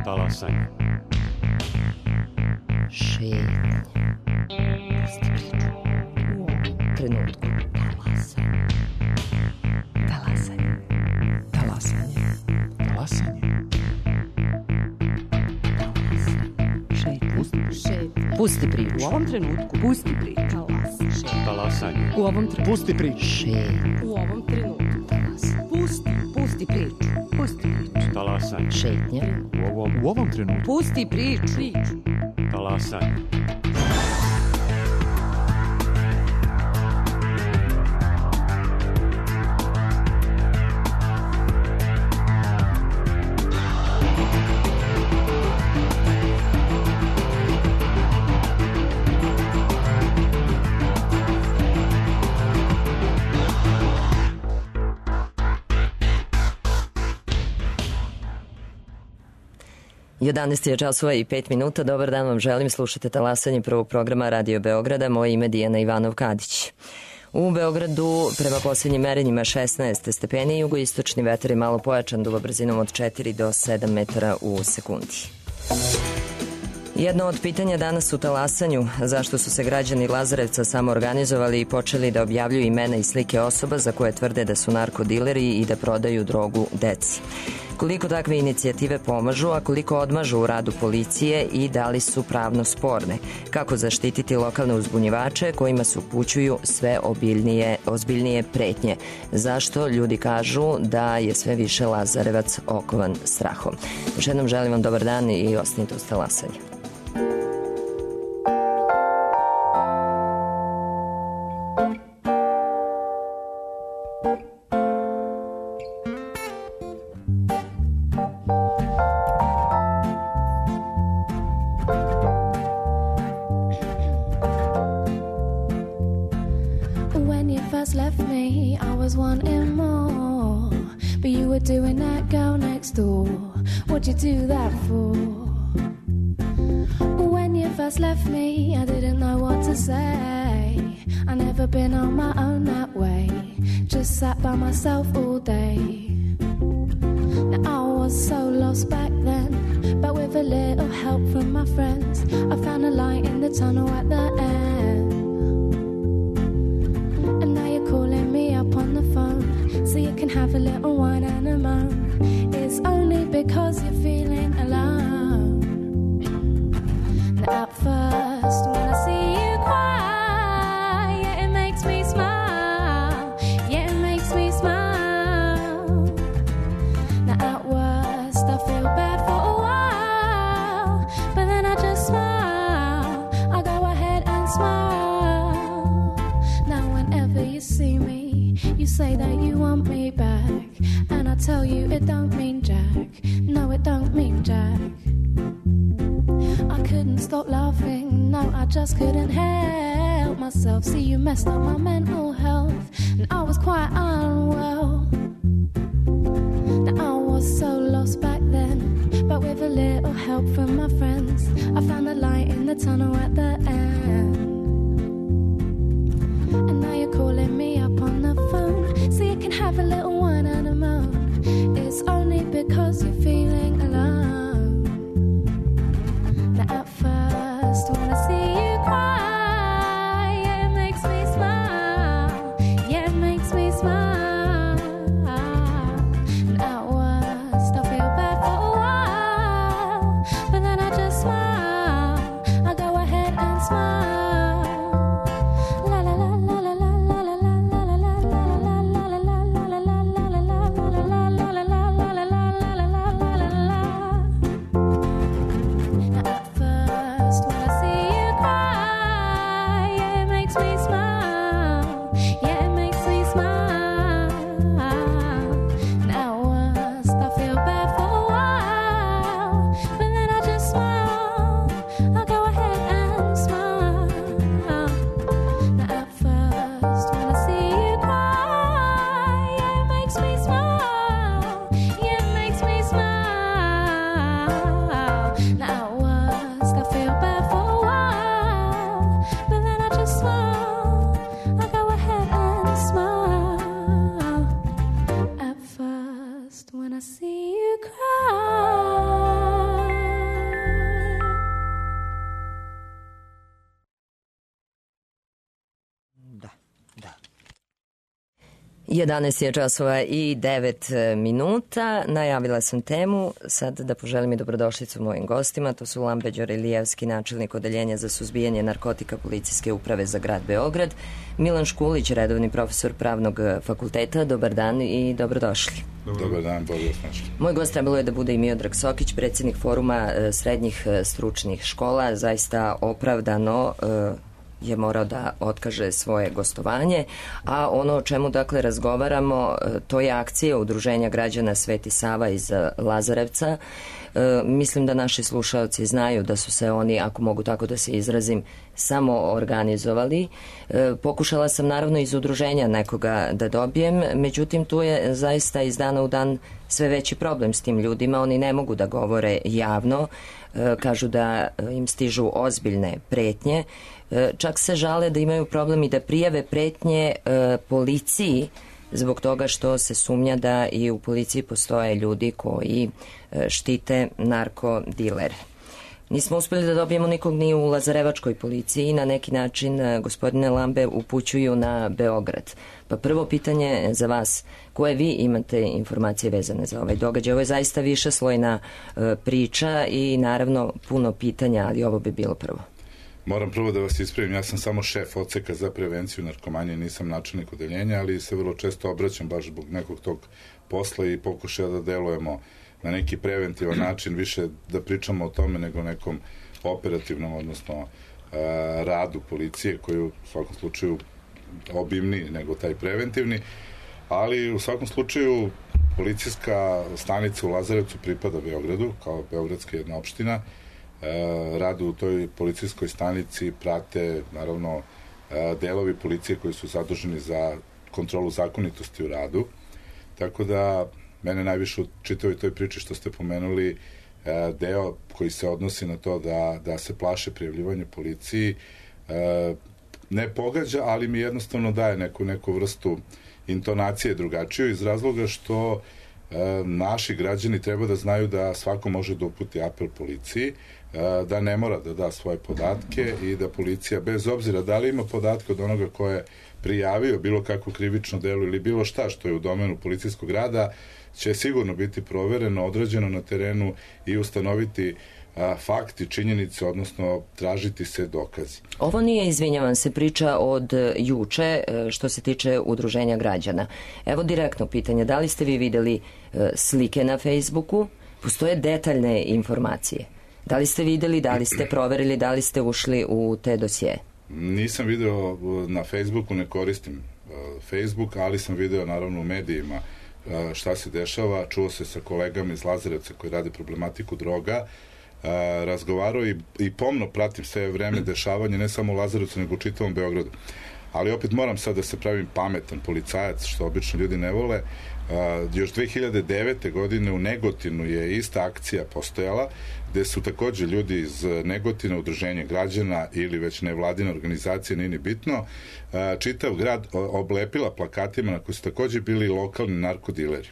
Talasanje. Šetnje. Pusti priču. U ovom trenutku. Talasanje. Talasanje. Talasanje. Talasanje. Šetnje. Pusti priču. U ovom trenutku. Pusti priču. Talasanje. U ovom trenutku. Pusti priču. Šetnje. U ovom trenutku. Pusti priču. Pusti priču. Talasanje. Šetnje. U ovom trenutku. Pusti priču. Talasanje. Jedanaest je časova i 5 minuta. Dobar dan vam želim. Slušate Talasanje prvog programa Radio Beograda. Moje ime je Dijana Ivanov-Kadić. U Beogradu prema posljednjim merenjima 16 stepeni, jugoistočni vetar je malo pojačan, duva brzinom od 4 do 7 metara u sekundi. Jedno od pitanja danas u Talasanju, zašto su se građani Lazarevca samoorganizovali i počeli da objavljuju imena i slike osoba za koje tvrde da su narkodileri i da prodaju drogu deci. Koliko takve inicijative pomažu, a koliko odmažu u radu policije i da li su pravno sporne? Kako zaštititi lokalne uzbunjivače kojima se upućuju sve ozbiljnije pretnje? Zašto ljudi kažu da je sve više Lazarevac okovan strahom? Još jednom želim vam dobar dan i ostanite uz Talasanje. What'd you do that for? When you first left me, I didn't know what to say. I never been on my own that way. Just sat by myself all day. Now I was so lost back then, but with a little help from my friends, I found a light in the tunnel at the end. And now you're calling me up on the phone, so you can have a little wine and a moan. It's only because you're feeling alone. Now at first when I see you cry, yeah, it makes me smile. Yeah, it makes me smile. Now at worst I feel bad for a while, but then I just smile. I go ahead and smile. Now whenever you see me, you say that you want me back, and I tell you it don't mean jack. No, it don't mean jack. I couldn't stop laughing, no, I just couldn't help myself. See, you messed up my mental health, and I was quite unwell. Now I was so lost back then, but with a little help from my friends, I found the light in the tunnel at the end. And now you're calling me up on the phone, so you can have a little wine and a moan. It's only because you're feeling alone. Now at first when I see you cry, yeah, it makes me smile. Yeah, it makes me smile. And at worst I feel bad for a while, but then I just smile. I go ahead and smile. 11 je časova i 9 minuta. Najavila sam temu. Sad da poželim i dobrodošlicu mojim gostima. To su Lambe Đorilijevski, načelnik Odeljenja za suzbijanje narkotika Policijske uprave za grad Beograd, Milan Škulić, redovni profesor Pravnog fakulteta. Dobar dan i dobrodošli. Dobar dan, bolje vas našli. Moj gost trebalo je da bude i Miodrag Sokić, predsjednik Foruma srednjih stručnih škola. Zaista opravdano je morao da otkaže svoje gostovanje, a ono o čemu dakle razgovaramo, to je akcija Udruženja građana Sveti Sava iz Lazarevca. Mislim da naši slušalci znaju da su se oni, ako mogu tako da se izrazim, samo organizovali. Pokušala sam naravno iz udruženja nekoga da dobijem, međutim tu je zaista iz dana u dan sve veći problem s tim ljudima. Oni ne mogu da govore javno, kažu da im stižu ozbiljne pretnje, čak se žale da imaju problem i da prijave pretnje policiji zbog toga što se sumnja da i u policiji postoje ljudi koji štite narkodilere. Nismo uspjeli da dobijemo nikog ni u Lazarevačkoj policiji i na neki način gospodine Lambe upućuju na Beograd. Pa prvo pitanje za vas, koje vi imate informacije vezane za ovaj događaj? Ovo je zaista višeslojna priča i naravno puno pitanja, ali ovo bi bilo prvo. Moram prvo da vas ispravim, ja sam samo šef odseka za prevenciju narkomanije, nisam načelnik odeljenja, ali se vrlo često obraćam baš zbog nekog tog posla i pokušaja da delujemo na neki preventivan način, više da pričamo o tome nego nekom operativnom, odnosno radu policije, koji u svakom slučaju obimniji nego taj preventivni, ali u svakom slučaju policijska stanica u Lazarevcu pripada Beogradu, kao beogradska jedna opština. Radu u toj policijskoj stanici prate naravno delovi policije koji su zaduženi za kontrolu zakonitosti u radu, tako da mene najviše u čitavoj toj priči što ste pomenuli deo koji se odnosi na to da se plaše prijavljivanje policiji ne pogađa, ali mi jednostavno daje neku vrstu intonacije drugačiju iz razloga što naši građani treba da znaju da svako može da uputi apel policiji, da ne mora da da svoje podatke i da policija, bez obzira da li ima podatke od onoga ko je prijavio bilo kakvo krivično delo ili bilo šta što je u domenu policijskog rada, će sigurno biti provereno, odrađeno na terenu i ustanoviti fakti, činjenice, odnosno tražiti se dokazi. Ovo nije, izvinjavam se, priča od juče što se tiče Udruženja građana. Evo direktno pitanje, da li ste vi videli slike na Facebooku? Postoje detaljne informacije. Da li ste videli, da li ste proverili, da li ste ušli u te dosije? Nisam video na Facebooku, ne koristim Facebook, ali sam video naravno u medijima šta se dešava. Čuo se sa kolegama iz Lazarevca koji rade problematiku droga, razgovarao i pomno pratim sve vreme dešavanje, ne samo u Lazarevcu, nego u čitavom Beogradu. Ali opet moram sad da se pravim pametan policajac, što obično ljudi ne vole. Još 2009. godine u Negotinu je ista akcija postojala, gde su takođe ljudi iz Negotina, Udruženje građana ili već nevladina organizacija, nije ni bitno, čitav grad oblepila plakatima na koji su takođe bili lokalni narkodileri.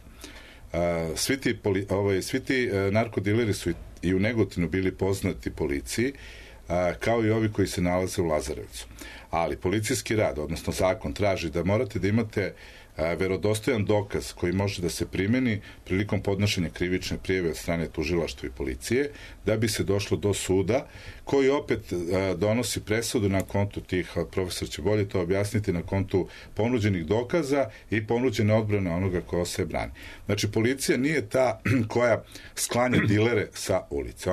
Svi ti narkodileri su i u Negotinu bili poznati policiji, kao i ovi koji se nalaze u Lazarevcu. Ali policijski rad, odnosno zakon, traži da morate da imate verodostojan dokaz koji može da se primeni prilikom podnošenja krivične prijave od strane tužilaštva i policije, da bi se došlo do suda, koji opet donosi presudu na kontu tih, profesor će bolje to objasniti, na kontu ponuđenih dokaza i ponuđene odbrane onoga ko se brani. Znači, policija nije ta koja sklanja dilere sa ulice.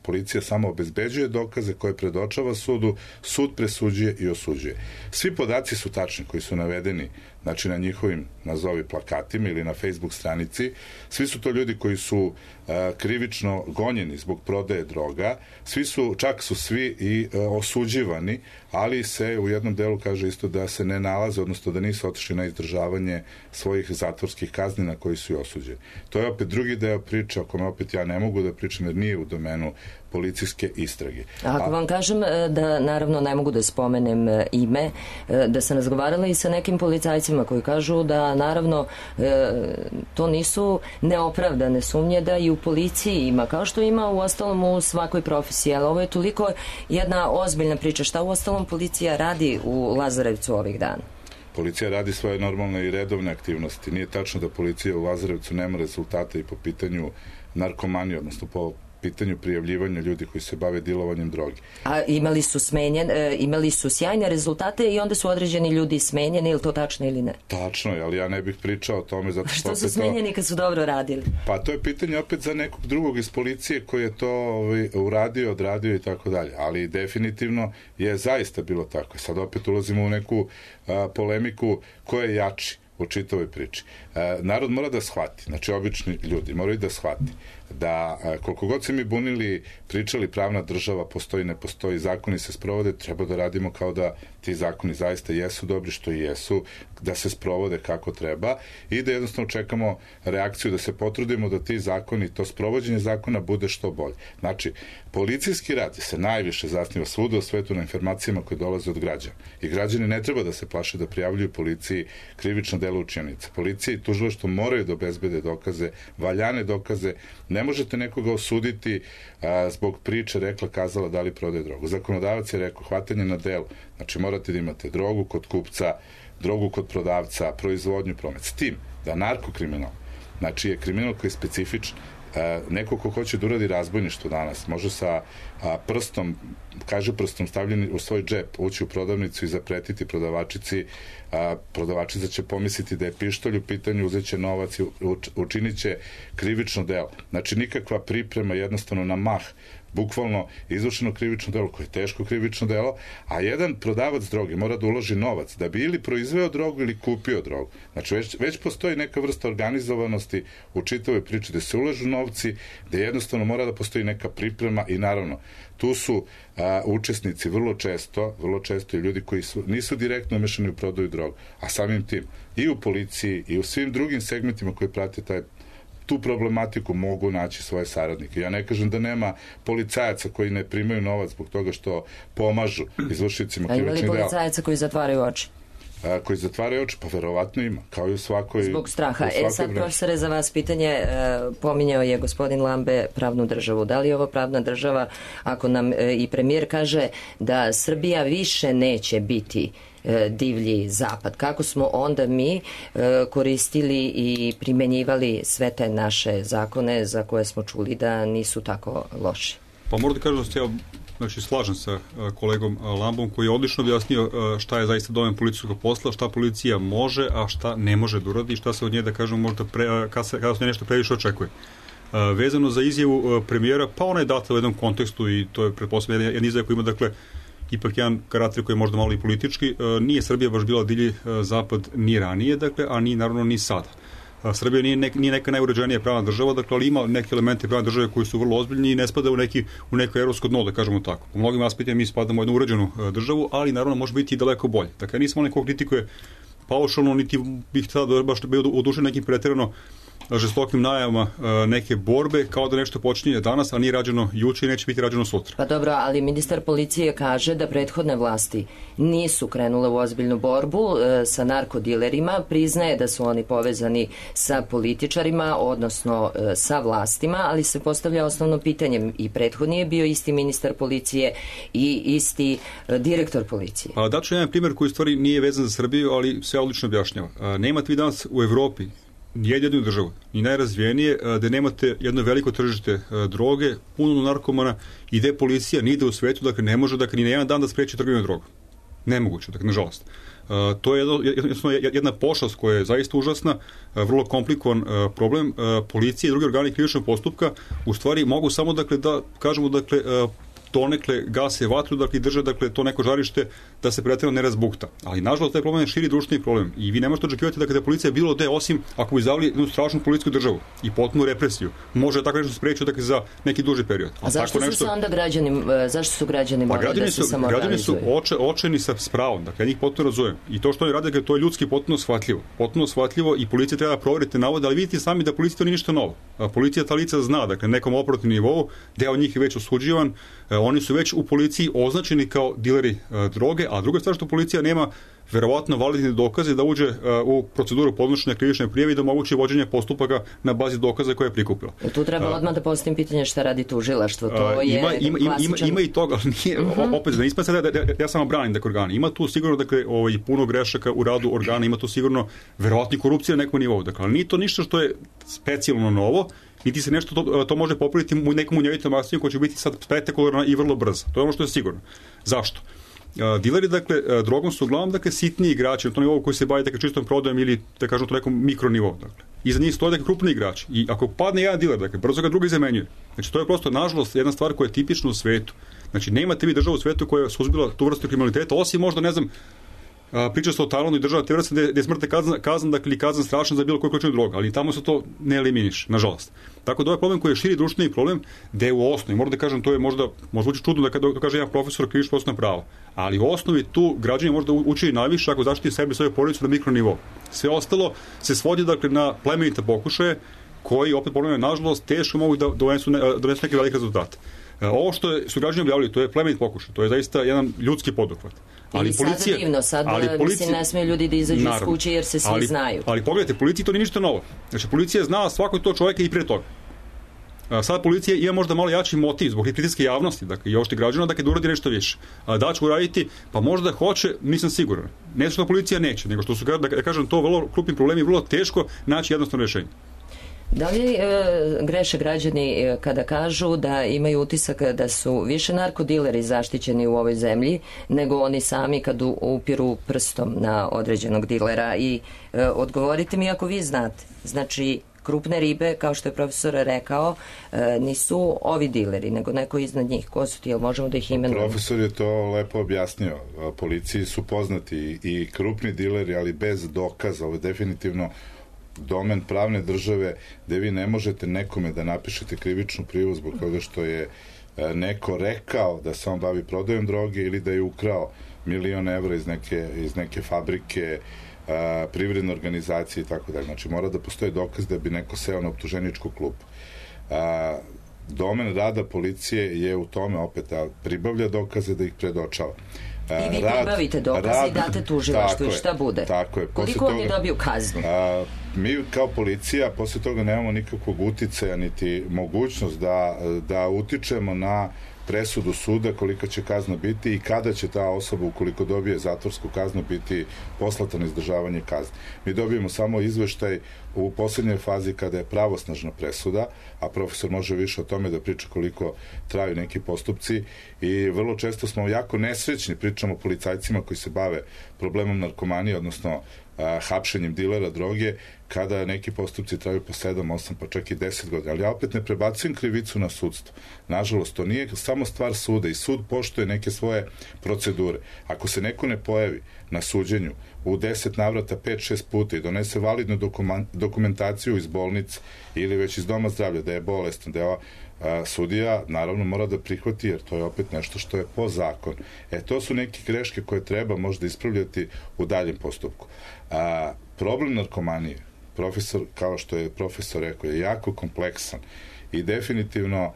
Policija samo obezbeđuje dokaze koje predočava sudu, sud presuđuje i osuđuje. Svi podaci su tačni koji su navedeni, znači na njihovim nazovi plakatima ili na Facebook stranici. Svi su to ljudi koji su krivično gonjeni zbog prodaje droga, čak su svi i osuđivani, ali se u jednom delu kaže isto da se ne nalaze, odnosno da nisu otišli na izdržavanje svojih zatvorskih kazni na koji su i osuđeni. To je opet drugi deo priče o kome opet ja ne mogu da pričam jer nije u domenu policijske istrage. Ako vam kažem da naravno ne mogu da spomenem ime, da sam razgovarala i sa nekim policajcima koji kažu da naravno to nisu neopravdane sumnje da i u policiji ima, kao što ima u ostalom u svakoj profesiji, ali ovo je toliko jedna ozbiljna priča. Šta u ostalom policija radi u Lazarevcu ovih dana? Policija radi svoje normalne i redovne aktivnosti. Nije tačno da policija u Lazarevcu nema rezultate i po pitanju narkomanije, odnosno po pitanju prijavljivanja ljudi koji se bave dilovanjem droge. A imali su sjajne rezultate i onda su određeni ljudi smenjeni, ili to tačno ili ne? Tačno je, ali ja ne bih pričao o tome zato što su smenjeni kad su dobro radili? Pa to je pitanje opet za nekog drugog iz policije koji je to uradio, odradio i tako dalje. Ali definitivno je zaista bilo tako. Sad opet ulazimo u neku polemiku ko je jači u čitavoj priči. Narod mora da shvati, znači obični ljudi moraju da shvati da koliko god se mi bunili, pričali pravna država postoji, ne postoji, zakoni se sprovode, treba da radimo kao da ti zakoni zaista jesu dobri što i jesu, da se sprovode kako treba i da jednostavno čekamo reakciju, da se potrudimo da ti zakoni, to sprovođenje zakona bude što bolje. Znači, policijski rad se najviše zasniva svuda u svetu na informacijama koje dolaze od građana. I građani ne treba da se plaše da prijavljuju policiji krivično delo učinjenica. Policija i tužilaštvo moraju da obezbede dokaze, valjane dokaze. Ne možete nekoga osuditi zbog priče rekla, kazala, da li prodaje drogu. Zakonodavac je rekao, hvatanje na delu. Znači, morate da imate drogu kod kupca, drogu kod prodavca, proizvodnju, promet. S tim da narkokriminal, znači je kriminal koji je specifičan. Neko ko hoće da uradi razbojništvo danas, može sa prstom, kaže prstom stavljeni u svoj džep, ući u prodavnicu i zapretiti prodavačici, prodavačica će pomisliti da je pištolj u pitanju, uzet će novac i učinit će krivično delo. Znači nikakva priprema, jednostavno na mah, bukvalno izvršeno krivično delo, koje je teško krivično delo, a jedan prodavac droge mora da uloži novac da bi ili proizveo drogu ili kupio drogu. Znači već postoji neka vrsta organizovanosti u čitavoj priči, da se ulažu novci, da jednostavno mora da postoji neka priprema i naravno tu su učesnici vrlo često i ljudi koji nisu direktno umešani u prodaju drogu, a samim tim i u policiji i u svim drugim segmentima koji prate tu problematiku mogu naći svoje saradnike. Ja ne kažem da nema policajaca koji ne primaju novac zbog toga što pomažu izvršicima krivičnih dela. Ima li policajaca koji zatvaraju oči? Koji zatvaraju oči, pa verovatno ima, kao i u svakoj... Zbog straha. Sad, profesore, za vas pitanje, pominjao je gospodin Lambe pravnu državu. Da li je ovo pravna država, ako nam i premijer kaže da Srbija više neće biti divlji zapad? Kako smo onda mi koristili i primenjivali sve te naše zakone za koje smo čuli da nisu tako loši? Pa moram da kažem da se ja slažem sa kolegom Lambom koji je odlično objasnio šta je zaista domen policijskog posla, šta policija može, a šta ne može da uradi i šta se od nje, da kažemo, možda kada se nešto previše očekuje. Vezano za izjavu premijera, pa ona je data u jednom kontekstu i to je pretpostavljeno jedan izjava koji ima, dakle, ipak jedan karakter koji je možda malo i politički. Nije Srbija baš bila divlji zapad ni ranije, dakle, a ni naravno ni sada. Srbija nije neka najuređenija pravna država, dakle, ali ima neke elemente pravne države koji su vrlo ozbiljni i ne spada u neko evropsko dno, da kažemo tako. U mnogim aspektima mi spadamo u jednu uređenu državu, ali naravno može biti i daleko bolje. Dakle, nisam onaj ko kritikuje paušalno, niti bih tada baš bio odušen nekim pretjerano žestokim najavama neke borbe, kao da nešto počinje danas, a nije rađeno juče i neće biti rađeno sutra. Pa dobro, ali ministar policije kaže da prethodne vlasti nisu krenule u ozbiljnu borbu sa narkodilerima, priznaje da su oni povezani sa političarima, odnosno sa vlastima, ali se postavlja osnovno pitanje, i prethodni je bio isti ministar policije i isti direktor policije. Daću jedan primjer koji u stvari nije vezan za Srbiju, ali sve odlično objašnjava. Nemate vi danas u Evropi jednu državu, ni najrazvijenije, da nemate jedno veliko tržište droge, puno narkomana i gde policija nide u svetu, dakle ne može, dakle, ni na jedan dan da spreči trgovinu drogu. Nemoguće, dakle, nažalost. To je jedna pošast koja je zaista užasna, vrlo komplikovan problem. Policija i drugi organi krivičnog postupka u stvari mogu samo, dakle, da kažemo, dakle, donekle gase vatru, dakle, drže, dakle, to neko žarište da se pretjerano ne razbukta. Ali, nažalost, taj problem je širi društveni problem. I vi ne možete očekivati da kada je policija bilo gde, osim ako bi zavili jednu strašnu policijsku državu i potpunu represiju, može tako nešto spreći, dakle, za neki duži period. A zašto su se onda zašto su građani morali da se samoorganizuju? Građani su očajni sa spravom, dakle, ja njih potpuno razumem. I to što oni rade, to je ljudski potpuno shvatljivo i policija treba da proverite navode, ali vidite sami da policija to nije ništa novo. Policija ta lica zna, dakle, nekom operativnom nivou, deo njih je već osuđivan, oni su već u policiji označeni kao dileri droge, a druga stvar što policija nema verovatno validne dokaze da uđe u proceduru podnošenja krivične prijave i da moguće vođenje postupaka na bazi dokaza koje je prikupila. Tu treba odmah da postavim pitanje šta radi tužilaštvo. To je klasičan... Ima i toga, ali nije, opet, da nisam sada, ja samo branim organi. Ima tu sigurno, dakle, puno grešaka u radu organa, ima tu sigurno verovatni korupcija na nekom nivou. Dakle, ali nije to ništa što je specijalno novo, niti se nešto to može popraviti u nekom munjevitom akcijom koja će biti sad spektakularna i vrlo brza. To je ono što je sigurno. Zašto? Dileri, dakle, drogom su uglavnom, dakle, sitniji igrači na tom nivou koji se bavi, dakle, čistom prodajom ili, da kažemo, to nekom mikronivou, dakle. Iza njih stoje, dakle, krupni igrači. I ako padne jedan diler, dakle, brzo ga drugi zamenjuje. Znači, to je prosto, nažalost, jedna stvar koja je tipična u svetu. Znači, nemate vi državu u svetu koja je suzbila tu vrstu kriminaliteta, osim možda, ne znam, priča se o Tajlandu i država te vrste gde je smrtna kazna, dakle, kazna strašna za bilo koju količinu droga, ali tamo se to ne eliminiše, nažalost. Tako da ovaj problem koji je širi društveni problem, da je u osnovi, moram da kažem, to je možda zvuči čudno da kaže jedan profesor krivično procesno pravo, ali u osnovi tu građani možda uči najviše ako zaštiti sebe i svoju porodicu na mikronivou. Sve ostalo se svodi, dakle, na plemenite pokušaje koji, opet problem je, nažalost, teško mogu da donesu neki velik rezultat. Ovo što su građani objavili, to je plemenit pokušaj, to je zaista jedan ljudski poduhvat. Ali policija, sada divno, sad mislim, ne smiju ljudi da izađu iz kuće jer se svi znaju. Ali pogledajte, policiji to nije ništa novo. Znači, policija zna svakog to čovjeka i pre toga. Sad policija ima možda malo jači motiv zbog pritiske javnosti, dakle, i ošte građana, dakle, da uradi nešto više. Da će uraditi, pa možda hoće, nisam siguran. Ne što policija neće, nego što su, da kažem, to vrlo krupni problemi, vrlo teško naći jednostavno rješenje. Da li greše građani kada kažu da imaju utisak da su više narkodileri zaštićeni u ovoj zemlji nego oni sami kad upiru prstom na određenog dilera? I odgovorite mi ako vi znate. Znači, krupne ribe, kao što je profesor rekao, nisu ovi dileri, nego neko iznad njih. Ko su ti, jel možemo da ih imenujemo? Profesor je to lepo objasnio. Policiji su poznati i krupni dileri, ali bez dokaza. Ovo je definitivno domen pravne države gde vi ne možete nekome da napišete krivičnu prijavu zbog toga što je neko rekao da se on bavi prodajom droge ili da je ukrao 1.000.000 evra iz neke fabrike, privredne organizacije i tako dalje. Znači, mora da postoji dokaz da bi neko seo na optuženičku klupu. Domen rada policije je u tome opet da pribavlja dokaze, da ih predočava. I vi pribavite dokaze i date tužilaštvu i šta bude? Tako je. Koliko oni dobiju kaznu? Mi kao policija posle toga nemamo nikakvog uticaja niti mogućnost da utičemo na presudu suda kolika će kazna biti i kada će ta osoba, ukoliko dobije zatvorsku kaznu, biti poslata na izdržavanje kazne. Mi dobijemo samo izveštaj u poslednjoj fazi kada je pravosnažna presuda, a profesor može više o tome da priča koliko traju neki postupci i vrlo često smo jako nesrećni, pričamo o policajcima koji se bave problemom narkomanije, odnosno hapšenjem dilera droge, kada neki postupci traju po 7, 8, pa čak i 10 godina. Ali ja opet ne prebacujem krivicu na sudstvo. Nažalost, to nije samo stvar suda i sud poštuje neke svoje procedure. Ako se neko ne pojavi na suđenju u 10 navrata 5-6 puta i donese validnu dokumentaciju iz bolnice ili već iz doma zdravlja da je bolestan, da je sudija naravno mora da prihvati, jer to je opet nešto što je po zakonu. To su neke greške koje treba možda ispravljati u daljem postupku. Problem narkomanije, profesor, kao što je profesor rekao, je jako kompleksan i definitivno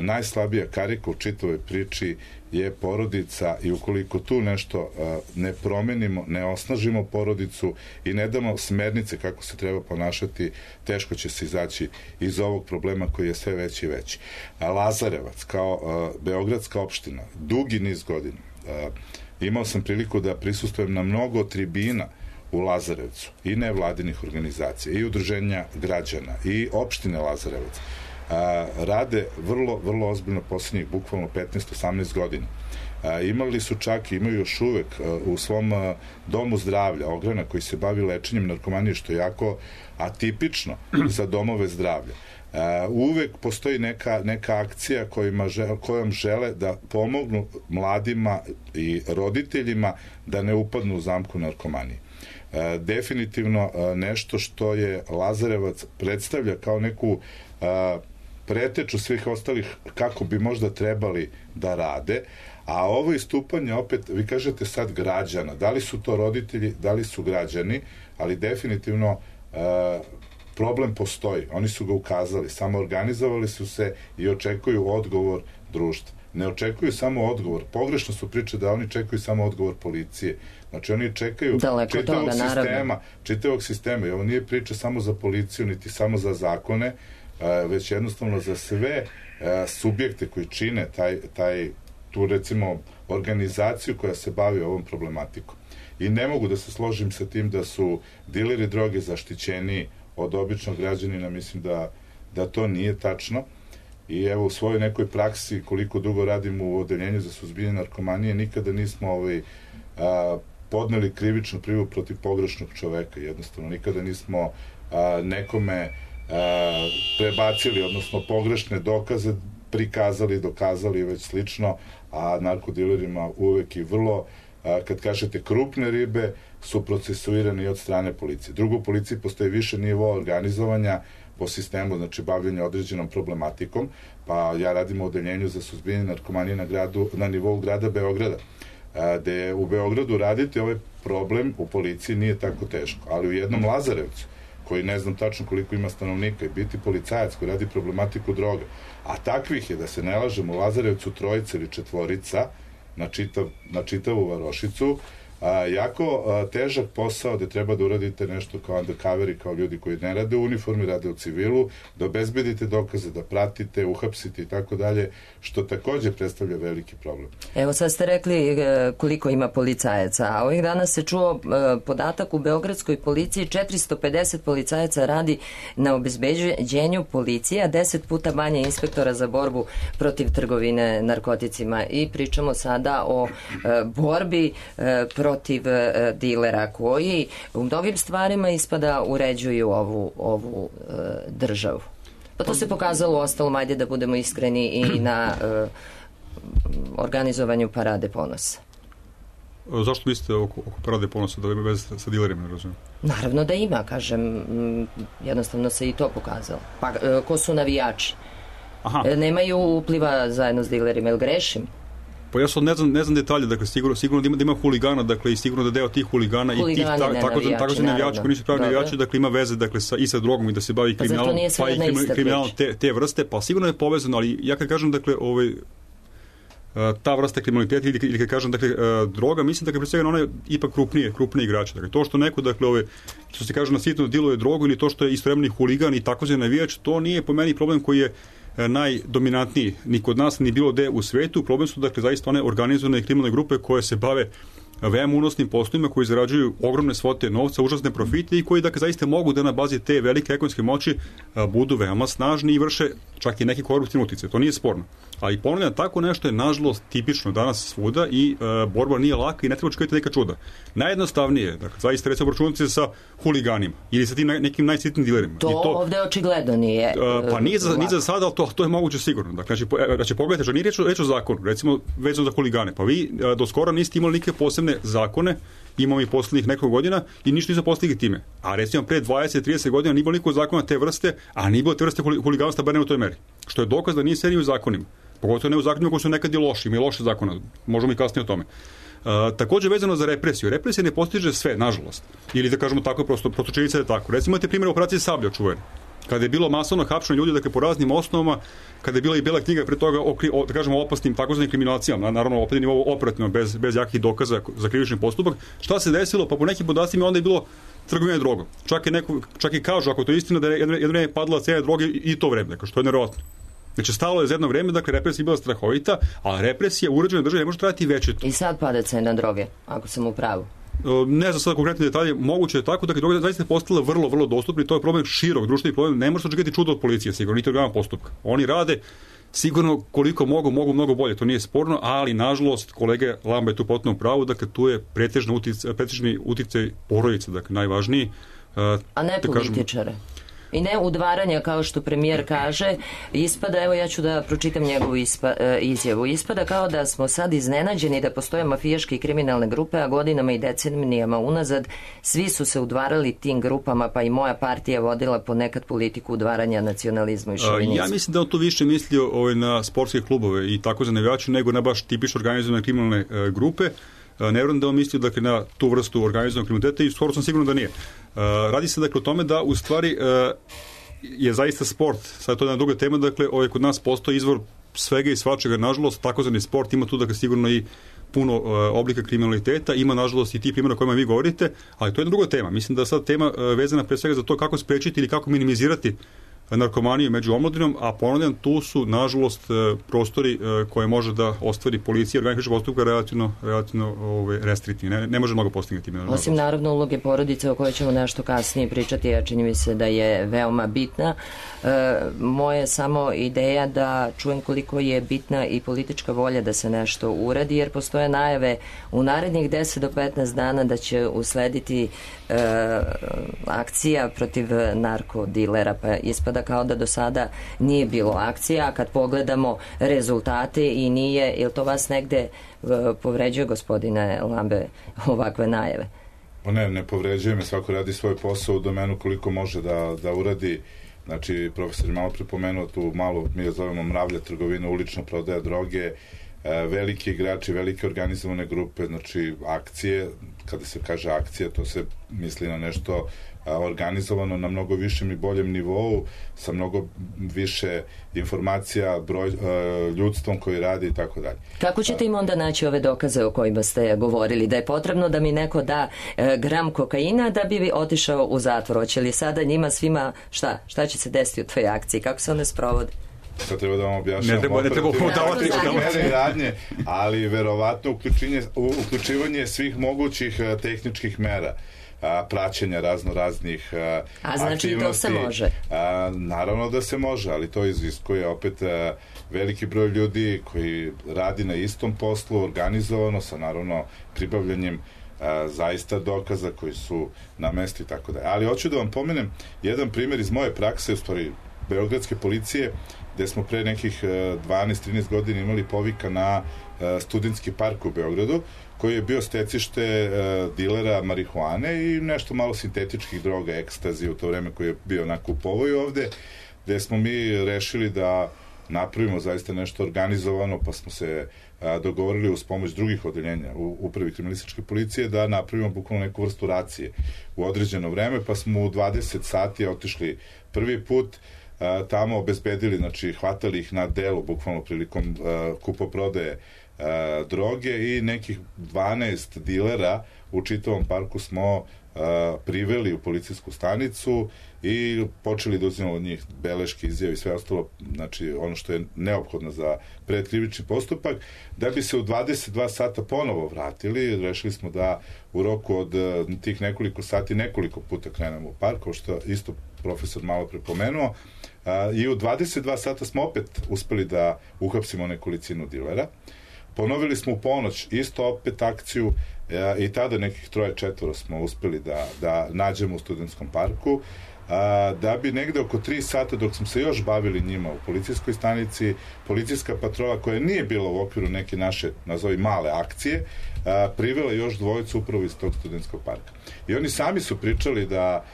najslabija karika u čitavoj priči je porodica i ukoliko tu nešto ne promenimo, ne osnažimo porodicu i ne damo smernice kako se treba ponašati, teško će se izaći iz ovog problema koji je sve veći i veći. Lazarevac kao beogradska opština, dugi niz godina, imao sam priliku da prisustvujem na mnogo tribina u Lazarevcu i nevladinih organizacija i udruženja građana i opštine Lazarevac. Rade vrlo ozbiljno poslednjih bukvalno 15-18 godina. Imali su čak i imaju još uvek u svom domu zdravlja Ograna koji se bavi lečenjem narkomanije, što je jako atipično za domove zdravlja. Uvek postoji neka akcija kojom žele da pomognu mladima i roditeljima da ne upadnu u zamku narkomanije. Definitivno nešto što je Lazarevac predstavlja kao neku preteču svih ostalih kako bi možda trebali da rade, a ovo istupanje opet, vi kažete sad građana, da li su to roditelji, da li su građani, ali definitivno problem postoji, oni su ga ukazali, samo organizovali su se i očekuju odgovor društva. ne očekuju samo odgovor. Pogrešno su priče da oni čekaju samo odgovor policije. Znači oni čekaju čitavog sistema. I ovo nije priča samo za policiju, niti samo za zakone, već jednostavno za sve subjekte koji čine tu recimo organizaciju koja se bavi ovom problematikom. I ne mogu da se složim sa tim da su dileri droge zaštićeni od običnog građanina, mislim da to nije tačno. I evo u svojoj nekoj praksi, koliko dugo radim u odeljenju za suzbijanje narkomanije, nikada nismo podneli krivičnu prijavu protiv pogrešnog čoveka. Jednostavno, nikada nismo nekome prebacili, odnosno pogrešne dokaze prikazali, dokazali i već slično, a narkodilerima uvek i vrlo, kad kažete krupne ribe, su procesuirani od strane policije. Drugo, u policiji postoji više nivoa organizovanja po sistemu, znači bavljenja određenom problematikom, pa ja radim u odeljenju za suzbijanje narkomanije na nivou grada Beograda, gde u Beogradu raditi ovaj problem u policiji nije tako teško, ali u jednom Lazarevcu, koji ne znam tačno koliko ima stanovnika, i biti policajac koji radi problematiku droga, a takvih je, da se ne lažemo, u Lazarevcu 3 ili 4 na čitavu varošicu, jako težak posao gde treba da uradite nešto kao undercoveri, kao ljudi koji ne rade u uniformi, rade u civilu, da obezbedite dokaze, da pratite, uhapsite i tako dalje, što takođe predstavlja veliki problem. Evo sad ste rekli koliko ima policajaca, a ovih dana se čuo podatak u beogradskoj policiji 450 policajaca radi na obezbeđenju policije, a 10 puta manje inspektora za borbu protiv trgovine narkoticima, i pričamo sada o borbi protiv dilera koji u mnogim stvarima ispada uređuju ovu državu. Pa to se pokazalo u ostalom, ajde da budemo iskreni, i na organizovanju Parade ponosa. Zašto mislite oko Parade ponosa da ima veze sa dilerima, ne razumijem? Naravno da ima, kažem, jednostavno se i to pokazalo. Pa ko su navijači? Nemaju upliva zajedno s dilerima, ili grešim? Pa ja sad ne znam detalje, dakle sigurno da ima huligana, dakle i sigurno da deo tih huligana i tih takozvani navijači koji nisu pravi navijači, dakle ima veze i sa drogom i da se bavi kriminalom, pa i kriminalom te vrste, pa sigurno je povezano, ali ja kad kažem, dakle, ta vrsta kriminaliteta ili kad kažem, dakle, droga, mislim da kad presega ona je ipak krupniji igrač. Dakle, to što neko, dakle, što se kaže na sitno diluje drogu, ili to što je istovremeni huligan i takozvani navijač, to nije po meni problem koji je najdominantniji ni kod nas, ni bilo gde u svetu. Problem su, dakle, zaista one organizovane kriminalne grupe koje se bave veoma unosnim poslovima, koji zarađuju ogromne svote novca, užasne profite i koji, dakle, zaista mogu da na bazi te velike ekonomske moći budu veoma snažni i vrše čak i neke koruptivne utice. To nije sporno. Ali ponavljam, tako nešto je nažalost tipično danas svuda i borba nije laka i ne treba očekivati neka čuda. Najjednostavnije, dakle, zaista recimo obračunati se sa huliganima ili sa tim nekim najsitnim dilerima. To ovde očigledno nije. Pa nije za sada, ali to je moguće sigurno. Dakle, znači pogledajte, što nije reč o zakonu, recimo vezano za huligane. Pa vi do skora niste imali neke posebne zakone, imamo i poslednjih nekoliko godina i ništa nisu postigli time. A recimo pre 20-30 godina nije bilo nikog zakona te vrste, a nije bilo te vrste huliganstva, bar ne u toj meri. Što je dokaz da nije se ni u zakonima. Pogotovo ne u zakonima koji su nekad i loši, imaju loše zakona. Možemo i kasnije o tome. Takođe vezano za represiju. Represija ne postiže sve, nažalost. Ili da kažemo tako, prosto činjenica je tako. Recimo imate primjer operacije Sablja čuvene. Kada je bilo masovno hapšenje ljudi, dakle, po raznim osnovama, kada je bila i bela knjiga pre toga da kažemo opasnim takozvanim kriminalacijama, naravno opet nivo operativno, bez jakih dokaza za krivični postupak. Šta se desilo? Pa po nekim podacima onda je bilo trgovine drogom. Čak i kažu, ako to je istina, da je jedno vreme padala cena droge i to vreme, dakle, što je nevjerovatno. Znači, stalo je za jedno vreme, dakle, represija je bila strahovita, a represija uređena države ne može trajati večito. I sad pada cena droge, ako sam u pravu. Ne znam sada konkretne detalje, moguće je tako, dakle, droga zaista je postala vrlo, vrlo dostupna i to je problem širok, društveni problem, ne može se očekivati čudo od policije, sigurno, niti organa postupka. Oni rade sigurno koliko mogu mnogo bolje, to nije sporno, ali nažalost, kolege Lamba je tu potpuno u pravu, dakle, tu je pretežni uticaj porodice, dakle, najvažniji. A ne političare. I ne udvaranja, kao što premijer kaže, ispada, evo ja ću da pročitam njegovu izjavu, ispada kao da smo sad iznenađeni da postoje mafijaške i kriminalne grupe, a godinama i decenijama unazad svi su se udvarali tim grupama, pa i moja partija vodila ponekad politiku udvaranja, nacionalizmu i šovinizmu. Ja mislim da on tu više mislio na sportske klubove i tako za navijače, nego na baš tipično organizovane kriminalne grupe. Ne vjerujem da on mislio, dakle, na tu vrstu organizovanog kriminaliteta i skoro sam sigurno da nije. Radi se, dakle, o tome da u stvari je zaista sport, sad to je jedna druga tema, dakle, kod nas postoji izvor svega i svačega, nažalost, takozvani sport ima tu da sigurno i puno oblika kriminaliteta, ima nažalost i ti primjera o kojima vi govorite, ali to je jedna druga tema. Mislim da sad tema vezana pre svega za to kako sprečiti ili kako minimizirati narkomaniju među omladinom, a ponavljam, tu su nažalost prostori koje može da ostvari policija, organi krivičnog postupka relativno restriktivni. Ne može mnogo postignuti. Osim naravno uloge porodice o kojoj ćemo nešto kasnije pričati, a čini mi se da je veoma bitna. Moja samo ideja da čujem koliko je bitna i politička volja da se nešto uradi, jer postoje najave u narednih 10 do 15 dana da će uslediti akcija protiv narkodilera, pa ispada kao da do sada nije bilo akcija, a kad pogledamo rezultate i nije, ili to vas negde povređuje, gospodine Lambe, ovakve najave? Ne povređuje me, svako radi svoj posao u domenu koliko može da uradi. Znači, profesor je malo prepomenuo tu malo, mi je zovemo mravlja trgovina, ulična prodaja droge, veliki igrači, velike organizovane grupe, znači akcije, kada se kaže akcija, to se misli na nešto organizovano na mnogo višem i boljem nivou, sa mnogo više informacija, ljudstvom koji radi i tako dalje. Kako ćete im onda naći ove dokaze o kojima ste govorili? Da je potrebno da mi neko da gram kokaina da bi otišao u zatvor? Hoće li sada njima svima, šta će se desiti u toj akciji? Kako se one sprovode? Sad treba da vam objašnjam. Ne treba udavati radnje, ali verovatno uključivanje svih mogućih tehničkih mera, praćenja raznih a znači aktivnosti. To se može? Naravno da se može, ali to iziskuje opet veliki broj ljudi koji radi na istom poslu, organizovano, sa naravno pribavljanjem zaista dokaza koji su na mestu i tako dalje. Ali hoću da vam pomenem jedan primjer iz moje prakse, u stvari beogradske policije, gde smo pre nekih 12-13 godina imali povika na Studentski park u Beogradu, koji je bio stecište dilera marihuane i nešto malo sintetičkih droga, ekstazi u to vreme koji je bio onako u povoju ovde, gde smo mi rešili da napravimo zaista nešto organizovano, pa smo se dogovorili uz pomoć drugih odeljenja u upravi kriminalističke policije da napravimo bukvalno neku vrstu racije u određeno vreme, pa smo u 20 sati otišli prvi put, tamo obezbedili, znači hvatali ih na delu bukvalno prilikom kupoprodaje droge i nekih 12 dilera u čitavom parku smo priveli u policijsku stanicu i počeli da uzimamo od njih beleške, izjave i sve ostalo, znači ono što je neophodno za predkrivični postupak, da bi se u 22 sata ponovo vratili. Rešili smo da u roku od tih nekoliko sati nekoliko puta krenemo u park, kao što isto profesor malo prepomenuo, i u 22 sata smo opet uspeli da uhapsimo nekolicinu dilera. Ponovili smo u ponoć isto opet akciju i tada nekih 3-4 smo uspeli da nađemo u Studentskom parku, da bi negde oko 3 sata dok smo se još bavili njima u policijskoj stanici, policijska patrola koja nije bila u okviru neke naše, nazovi male akcije, privela još dvojicu upravo iz tog Studentskog parka. I oni sami su pričali da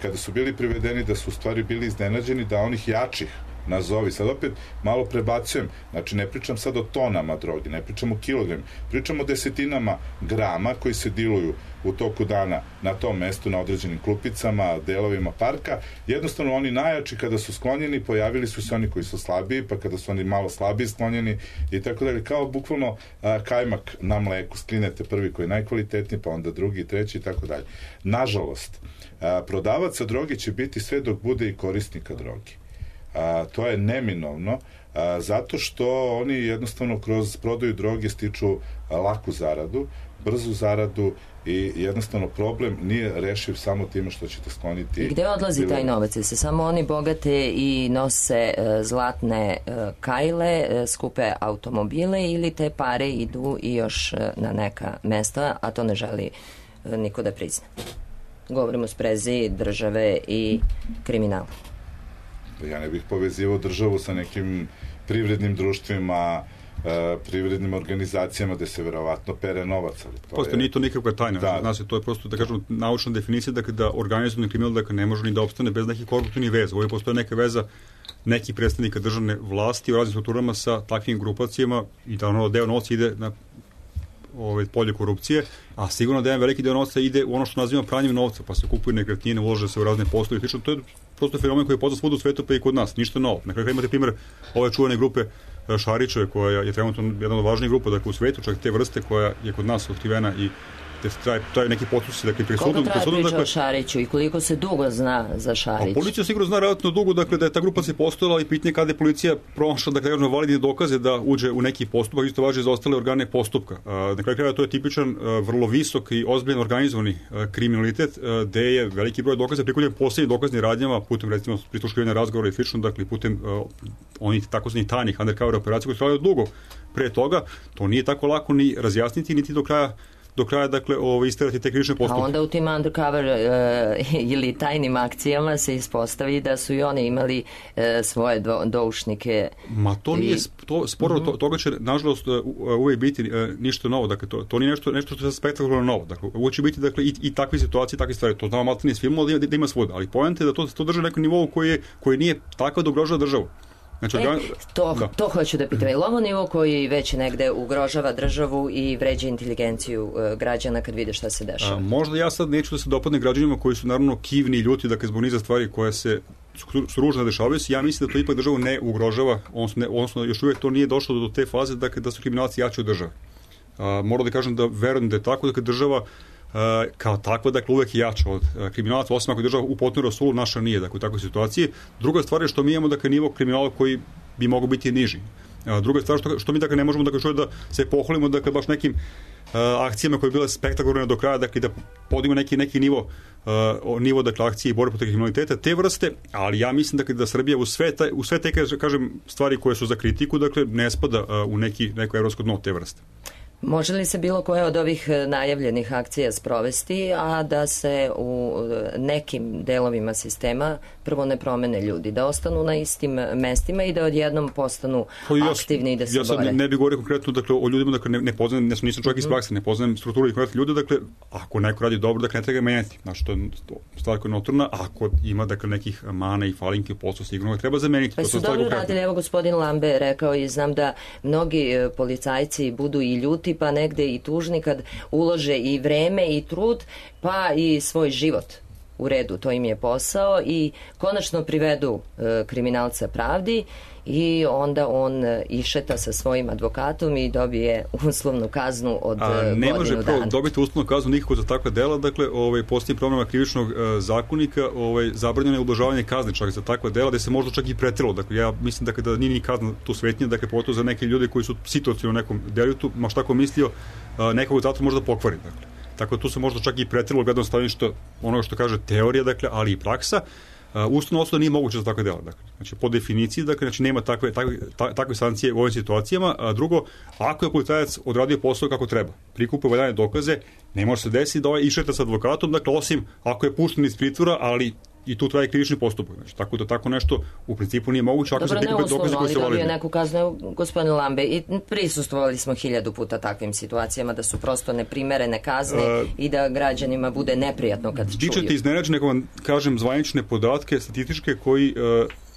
kada su bili privedeni da su u stvari bili iznenađeni da onih jačih, nazovi, sad opet malo prebacujem, znači ne pričam sad o tonama droge, ne pričam o kilogramima, pričam o desetinama grama koji se diluju u toku dana na tom mestu, na određenim klupicama, delovima parka. Jednostavno oni najjači kada su sklonjeni, pojavili su se oni koji su slabiji, pa kada su oni malo slabiji sklonjeni i tako dalje, kao bukvalno kajmak na mleku, sklinete prvi koji je najkvalitetniji, pa onda drugi, treći i tako dalje. Nažalost, prodavaca droge će biti sve dok bude i korisnika droge. To je neminovno, zato što oni jednostavno kroz prodaju droge stiču laku zaradu, brzu zaradu i jednostavno problem nije rešiv samo time što ćete skloniti. I gde odlazi taj novac? Se samo oni bogate i nose zlatne kajle, skupe automobile, ili te pare idu i još na neka mesta, a to ne želi niko da prizna? Govorimo o sprezi države i kriminala. Ja ne bih povezivao državu sa nekim privrednim društvima, privrednim organizacijama gde se verovatno pere novac. Prosto nije to nikakva tajna. Da. Znači, to je prosto, da kažemo, naučna definicija da organizovani kriminal ne može ni da opstane bez nekih koruptivnih veza. Ovo postoje neka veza nekih predstavnika državne vlasti u raznim strukturama sa takvim grupacijama i da ono deo novca ide na polje korupcije, a sigurno da jedan veliki deo novca ide u ono što nazivamo pranjem novca, pa se kupuju nekretnine, ulože se u razne poslove i to je prosto fenomen koji je poznat svuda u svetu, pa i kod nas, ništa novo. Na kraju imate primjer ove čuvene grupe Šarićeve, koja je trenutno jedna od važnijih grupa dakle, u svetu, čak te vrste koja je kod nas otkrivena i traju neki postupci. Dakle, koliko traje priča o Šariću i koliko se dugo zna za Šarić? Policija sigurno zna relativno dugo dakle, da je ta grupa se postojala i pitanje kada je policija pronašla dakle, validne dokaze da uđe u neki postupak, isto važi za ostale organe postupka. Na kraju krajeva to je tipičan, vrlo visok i ozbiljan organizovani kriminalitet, gde je veliki broj dokaza prikupljen poslednjim dokaznim radnjama putem recimo prisluškivanja razgovora i slično, dakle putem onih takozvanih tajnih undercover operacija koje su trajale dugo pre toga. To nije tako lako ni razjasniti niti do kraja dakle, isterati te krivične postupke. A onda u tim undercover ili tajnim akcijama se ispostavi da su i oni imali svoje doušnike. Ma to nije, sporo toga će, nažalost, uvijek biti ništa novo. Dakle, to nije nešto što je spektakularno novo. Dakle, uvijek će biti dakle, i takve situacije, takve stvari. To znamo malo iz filmova da ima svuda. Ali poenta je da to drži na nekom nivou koji nije tako da ugrožava državu. Znači, to hoću da pitam. Je li ovo nivo koji već negde ugrožava državu i vređa inteligenciju građana kad vide šta se dešava? Možda ja sad neću da se dopadne građanima koji su naravno kivni i ljuti dakle, zbog niza stvari koje se su ružno dešavaju se. Ja mislim da to ipak državu ne ugrožava, odnosno još uvijek to nije došlo do te faze dakle, da su kriminalci jači od države. Moram da kažem da verujem da je tako, dakle država kao takva, dakle, uvek je jača od kriminalaca, osim ako je država u potpuno rasulu, naša nije, dakle, u takvoj situaciji. Druga stvar je što mi imamo, dakle, nivo kriminala koji bi mogao biti niži. Druga stvar što mi, dakle, ne možemo, dakle, da se pohvalimo, dakle, baš nekim akcijama koje je bile spektakularne do kraja, dakle, da podigimo neki nivo, dakle, akcije i borbe protiv kriminaliteta, te vrste, ali ja mislim, dakle, da Srbija u sve te, kažem, stvari koje su za kritiku, dakle, ne spada u neko evropsko dno te vrste. Može li se bilo koje od ovih najavljenih akcija sprovesti, a da se u nekim delovima sistema prvo ne promene ljudi, da ostanu na istim mestima i da odjednom postanu aktivni i da se bore? Ja sad ne bih govorio konkretno dakle, o ljudima, dakle, ne poznajem, nisam čovjek iz prakse, ne poznajem strukturu i konkretno ljude, dakle, ako neko radi dobro, dakle, ne treba ga menjati. Znači, to je stvar koja je notorna, ako ima, dakle, nekih mana i falinke u poslu, sigurno ga treba zameniti. Pa su dobro radili, evo gospodin Lambe rekao i znam da mnogi policajci budu i ljuti, pa negde i tužni kad ulože i vreme i trud, pa i svoj život u redu, to im je posao i konačno privedu kriminalca pravdi i onda on išeta sa svojim advokatom i dobije uslovnu kaznu od godinu dana. Ne može dobiti uslovnu kaznu nikako za takva dela, dakle, postoji promjena krivičnog zakonika, zabranjeno je ublažavanje kazne čak za takva dela, da se možda čak i preteralo. Dakle, ja mislim dakle, da nije ni kazna tu svetnija, dakle, pogotovo za neke ljude koji su situacijno u nekom delitu, ma šta ko mislio, nekog zatvora možda pokvari, dakle. Tako da tu se možda čak i preteralo gledano stanovište onoga što kaže teorija, dakle, ali i praksa. Ustavna osuda nije moguće za takve dela. Dakle. Znači, po definiciji, dakle, znači, nema takve sankcije u ovim situacijama. A drugo, ako je policajac odradio posao kako treba, prikupio valjane dokaze, ne može se desiti da išeta sa advokatom, dakle, osim ako je pušten iz pritvora, ali i tu traje krivični postupak. Znači, tako da tako nešto u principu nije moguće. Ako dobro, se prikupe dokaze koji su validni. Dobio neku kaznu, gospodin Lambe, i prisustvovali smo 1000 puta takvim situacijama da su prosto neprimerene kazne i da građanima bude neprijatno kad čuju. Bićete iznenađeni, ako vam kažem zvanične podatke statističke koji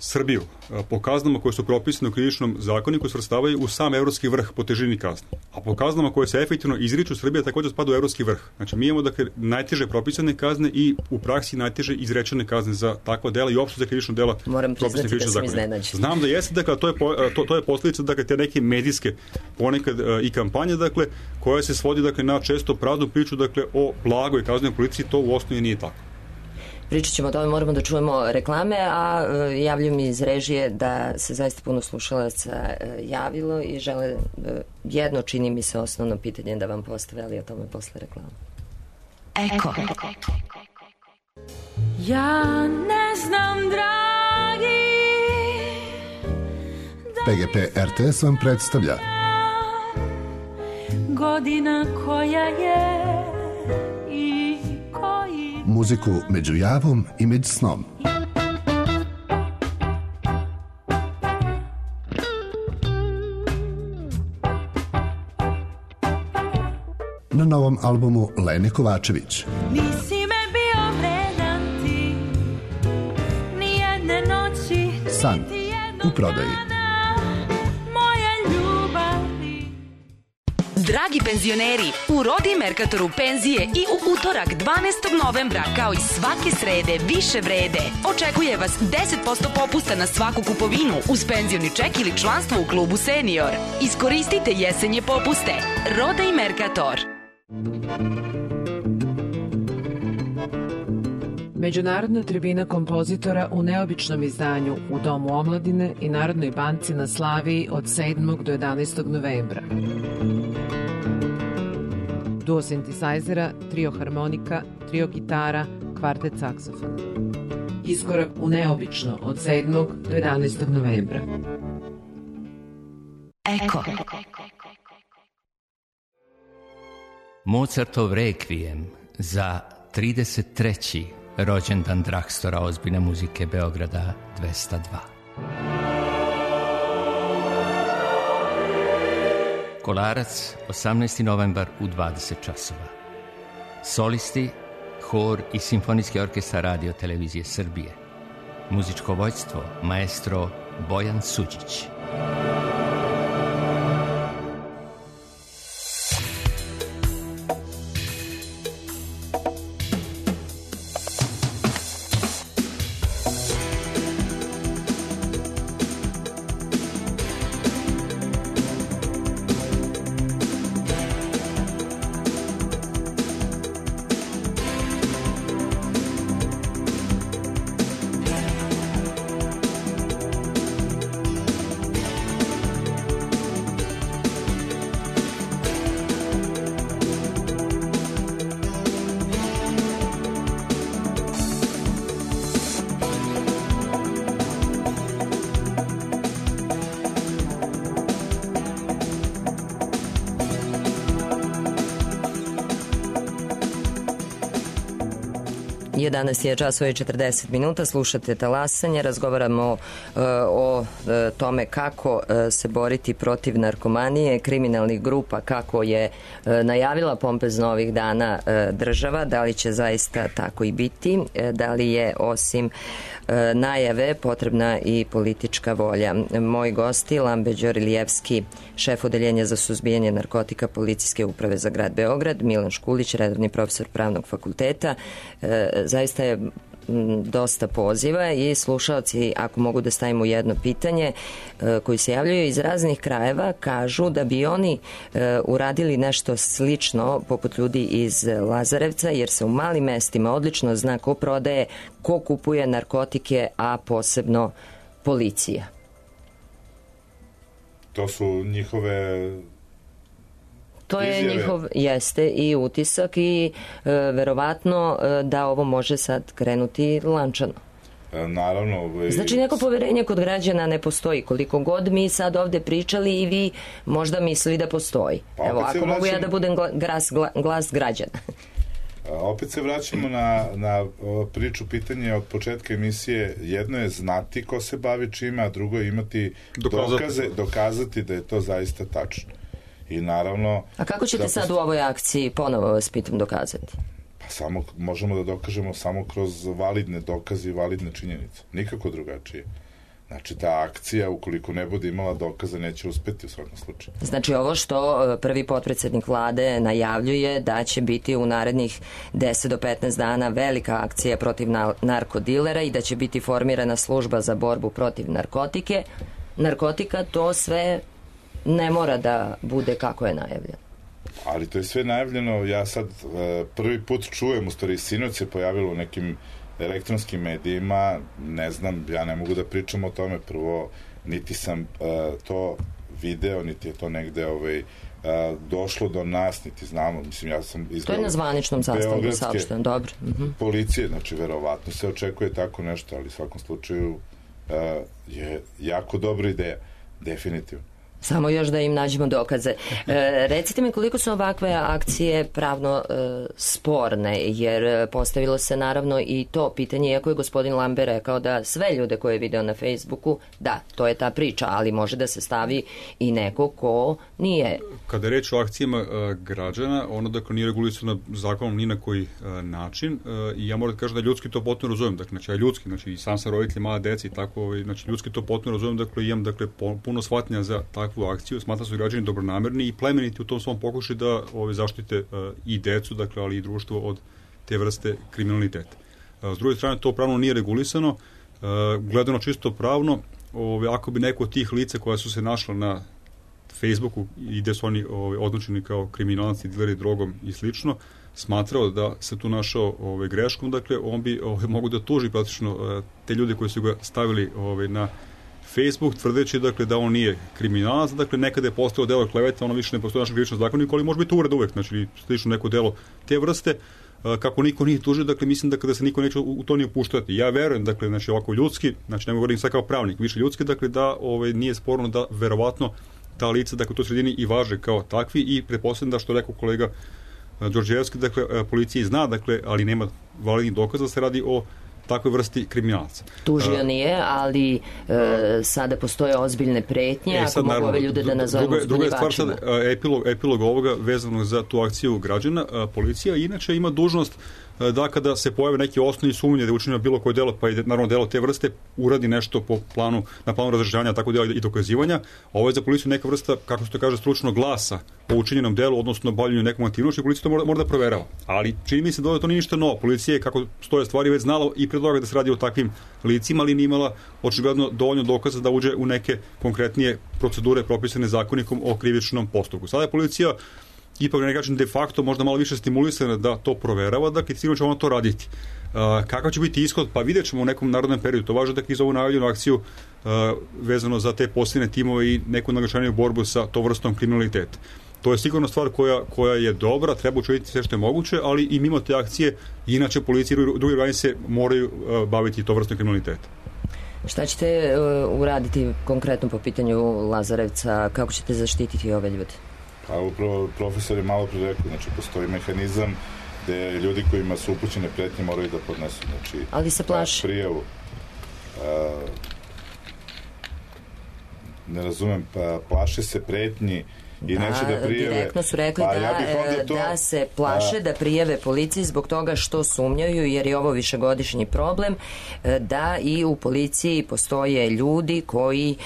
Srbiju po kaznama koje su propisane u krivičnom zakoniku svrstavaju u sam evropski vrh po težini kazne. A po kaznama koje se efektivno izriču, Srbija također spada u evropski vrh. Znači, mi imamo dakle najteže propisane kazne i u praksi najteže izrečene kazne za takva dela i uopšte za krivično dela. Moram priznati da sam iznenađen. Znam da jeste, dakle, to je posljedica dakle, te neke medijske ponekad i kampanje, dakle, koja se svodi dakle, na često praznu priču dakle, o blagoj kaznenoj policiji, to u osnovi nije tako. Pričat ćemo o tome, moramo da čujemo reklame, a javljaju mi iz režije da se zaista puno slušalaca javilo i žele jedno, čini mi se, osnovno pitanje da vam postave, ali o tome posle reklama. Eko. Ja ne znam, dragi, PGP RTS vam predstavlja godina koja je i koji muziku među javom i među snom. Na novom albumu Lene Kovačević. Nisi me bio vredan ti, ni jedne noći, San u prodaji. moje ljubavi. Dragi penzioneri, u Rodi Merkatoru penzije i u utorak 12. novembra, kao i svake srede, više vrede. Očekuje vas 10% popusta na svaku kupovinu uz penzioni ček ili članstvo u klubu Senior. Iskoristite jesenje popuste. Roda i Merkator. Međunarodna tribina kompozitora u neobičnom izdanju u Domu omladine i Narodnoj banci na Slaviji od 7. do 11. novembra. Duo sintesajzera, trio harmonika, trio gitara, kvartet saksofona. Iskorak u neobično od 7. do 11. novembra. Eko. Mozartov Requiem za 33. rođendan Drakstora ozbiljne muzike Beograda 202. Kolarac, 18. novembar u 20 časova. Solisti, hor i simfonijski orkestar Radio Televizije Srbije. Muzičko vođstvo, maestro Bojan Suđić. Jedanaest je časova i 40 minuta, slušate Talasanje, razgovaramo o tome kako se boriti protiv narkomanije, kriminalnih grupa, kako je najavila pompezno ovih dana država, da li će zaista tako i biti, da li je osim najave potrebna i politička volja. Moji gosti, Lambe Đorilijevski, šef odeljenja za suzbijanje narkotika Policijske uprave za grad Beograd, Milan Škulić, redovni profesor Pravnog fakulteta. Zaista je dosta poziva i slušalci, ako mogu da stavimo jedno pitanje, koji se javljaju iz raznih krajeva, kažu da bi oni uradili nešto slično poput ljudi iz Lazarevca, jer se u malim mestima odlično zna ko prodaje, ko kupuje narkotike, a posebno policija. To su njihove To je izjave. njihov, jeste, i utisak i verovatno da ovo može sad krenuti lančano. Naravno. Znači neko poverenje kod građana ne postoji. Koliko god mi sad ovde pričali i vi možda mislili da postoji. Pa, evo, ako mogu ja da budem glas građana. Opet se vraćamo na priču, pitanje od početka emisije. Jedno je znati ko se bavi čime, a drugo je imati dokazati da je to zaista tačno. I naravno... A kako ćete sad u ovoj akciji, ponovo vas pitam, dokazati? Pa samo možemo da dokažemo samo kroz validne dokaze i validne činjenice. Nikako drugačije. Znači, ta akcija, ukoliko ne bude imala dokaza, neće uspeti u svakom slučaju. Znači, ovo što prvi potpredsednik vlade najavljuje da će biti u narednih 10 do 15 dana velika akcija protiv narkodilera i da će biti formirana služba za borbu protiv narkotika, to sve ne mora da bude kako je najavljeno. Ali to je sve najavljeno. Ja sad prvi put čujem, u stvari sinoć se pojavilo u nekim elektronskim medijima, ne znam, ja ne mogu da pričam o tome, prvo niti sam to video, niti je to negde došlo do nas, niti znamo, mislim, ja sam iz to je na zvaničnom sastanku saopšteno, dobro. Policije, znači verovatno se očekuje tako nešto, ali u svakom slučaju je jako dobra ideja, definitivno. Samo još da im nađemo dokaze. Recite mi koliko su ovakve akcije pravno sporne, jer postavilo se naravno i to pitanje, iako je gospodin Lambe rekao da sve ljude koje je video na Facebooku, da, to je ta priča, ali može da se stavi i neko ko nije. Kada je reč o akcijama građana, ono dakle nije regulisano zakonom ni na koji način i ja moram da kažem da ljudski to potpuno razumem, dakle, znači ja ljudski, znači i sam sam roditelj, mala deca i tako, znači ljudski to potpuno razumem, dakle imam puno shvatnja za takve takvu akciju, smatra su građani dobronamerni i plemeniti u tom svom pokušaju da zaštite i decu, dakle, ali i društvo od te vrste kriminaliteta. S druge strane, to pravno nije regulisano, gledano čisto pravno, ako bi neko od tih lica koja su se našla na Facebooku i gde su oni označeni kao kriminalci, dileri drogom i slično, smatrao da se tu našao greškom, dakle, on bi mogu da tuži praktično te ljude koji su ga stavili na Facebook, tvrdeći, dakle, da on nije kriminalac, dakle, nekada je postao delo kleveta, ono više ne postoji našem krivičnom zakoniku, ali može biti uvreda uvek, znači, slično neko delo te vrste, kako niko nije tužio, dakle, mislim da kada se niko neće u to nije upuštati. Ja verujem, dakle, znači, ovako ljudski, znači, ne govorim sad kao pravnik, više ljudski, dakle, da nije sporno da verovatno ta lica, dakle, u toj sredini i važe kao takvi i pretpostavljam da, što rekao kolega Đorđevski, dakle, policija zna, dakle, ali nema validnih dokaza da se radi o takvoj vrsti kriminalaca. Tužio nije, ali sada postoje ozbiljne pretnje, ako mogu ove ljude da nazovemo zbunjivačima. Druga je stvar sad, epilog ovoga vezano za tu akciju građana. Policija inače ima dužnost da kada se pojave neki osnovni sumnje da je učinjeno bilo koje delo, pa i naravno delo te vrste, uradi nešto na planu razrešavanja takvog dela i dokazivanja. Ovo je za policiju neka vrsta, kako se to kaže, stručnog glasa o učinjenom delu, odnosno obavljanju nekom aktivnošću, i policija to mora da proverava. Ali čini mi se da to nije ništa novo. Policija je, kako stoje stvari, već znala i pre toga da se radi o takvim licima, ali nije imala očigledno dovoljno dokaza da uđe u neke konkretnije procedure propisane zakonikom o krivičnom postupku. Sada je policija ipak na neki način de facto možda malo više stimulisana da to proverava, dakle sigurno će ono to raditi. Kakav će biti ishod? Pa vidjet ćemo u nekom narodnom periodu. To važno da iz ovu najavljenu akciju vezano za te posljedne timove i neku naglašeniju borbu sa to vrstom kriminaliteta. To je sigurno stvar koja je dobra, treba učiniti sve što je moguće, ali i mimo te akcije, inače policija i drugi organi se moraju baviti to vrstom kriminaliteta. Šta ćete uraditi konkretno po pitanju Lazarevca? Kako ćete zaštititi ove ljude? Pa upravo profesor je malo pre rekao, znači postoji mehanizam gde ljudi kojima su upućene pretnje moraju da podnesu, znači, ali se plaši prijavu. Ne razumem, plaše se pretnji i neće da prijeve. Direktno su rekli da se plaše da prijeve policiji zbog toga što sumnjaju, jer je ovo višegodišnji problem, da i u policiji postoje ljudi koji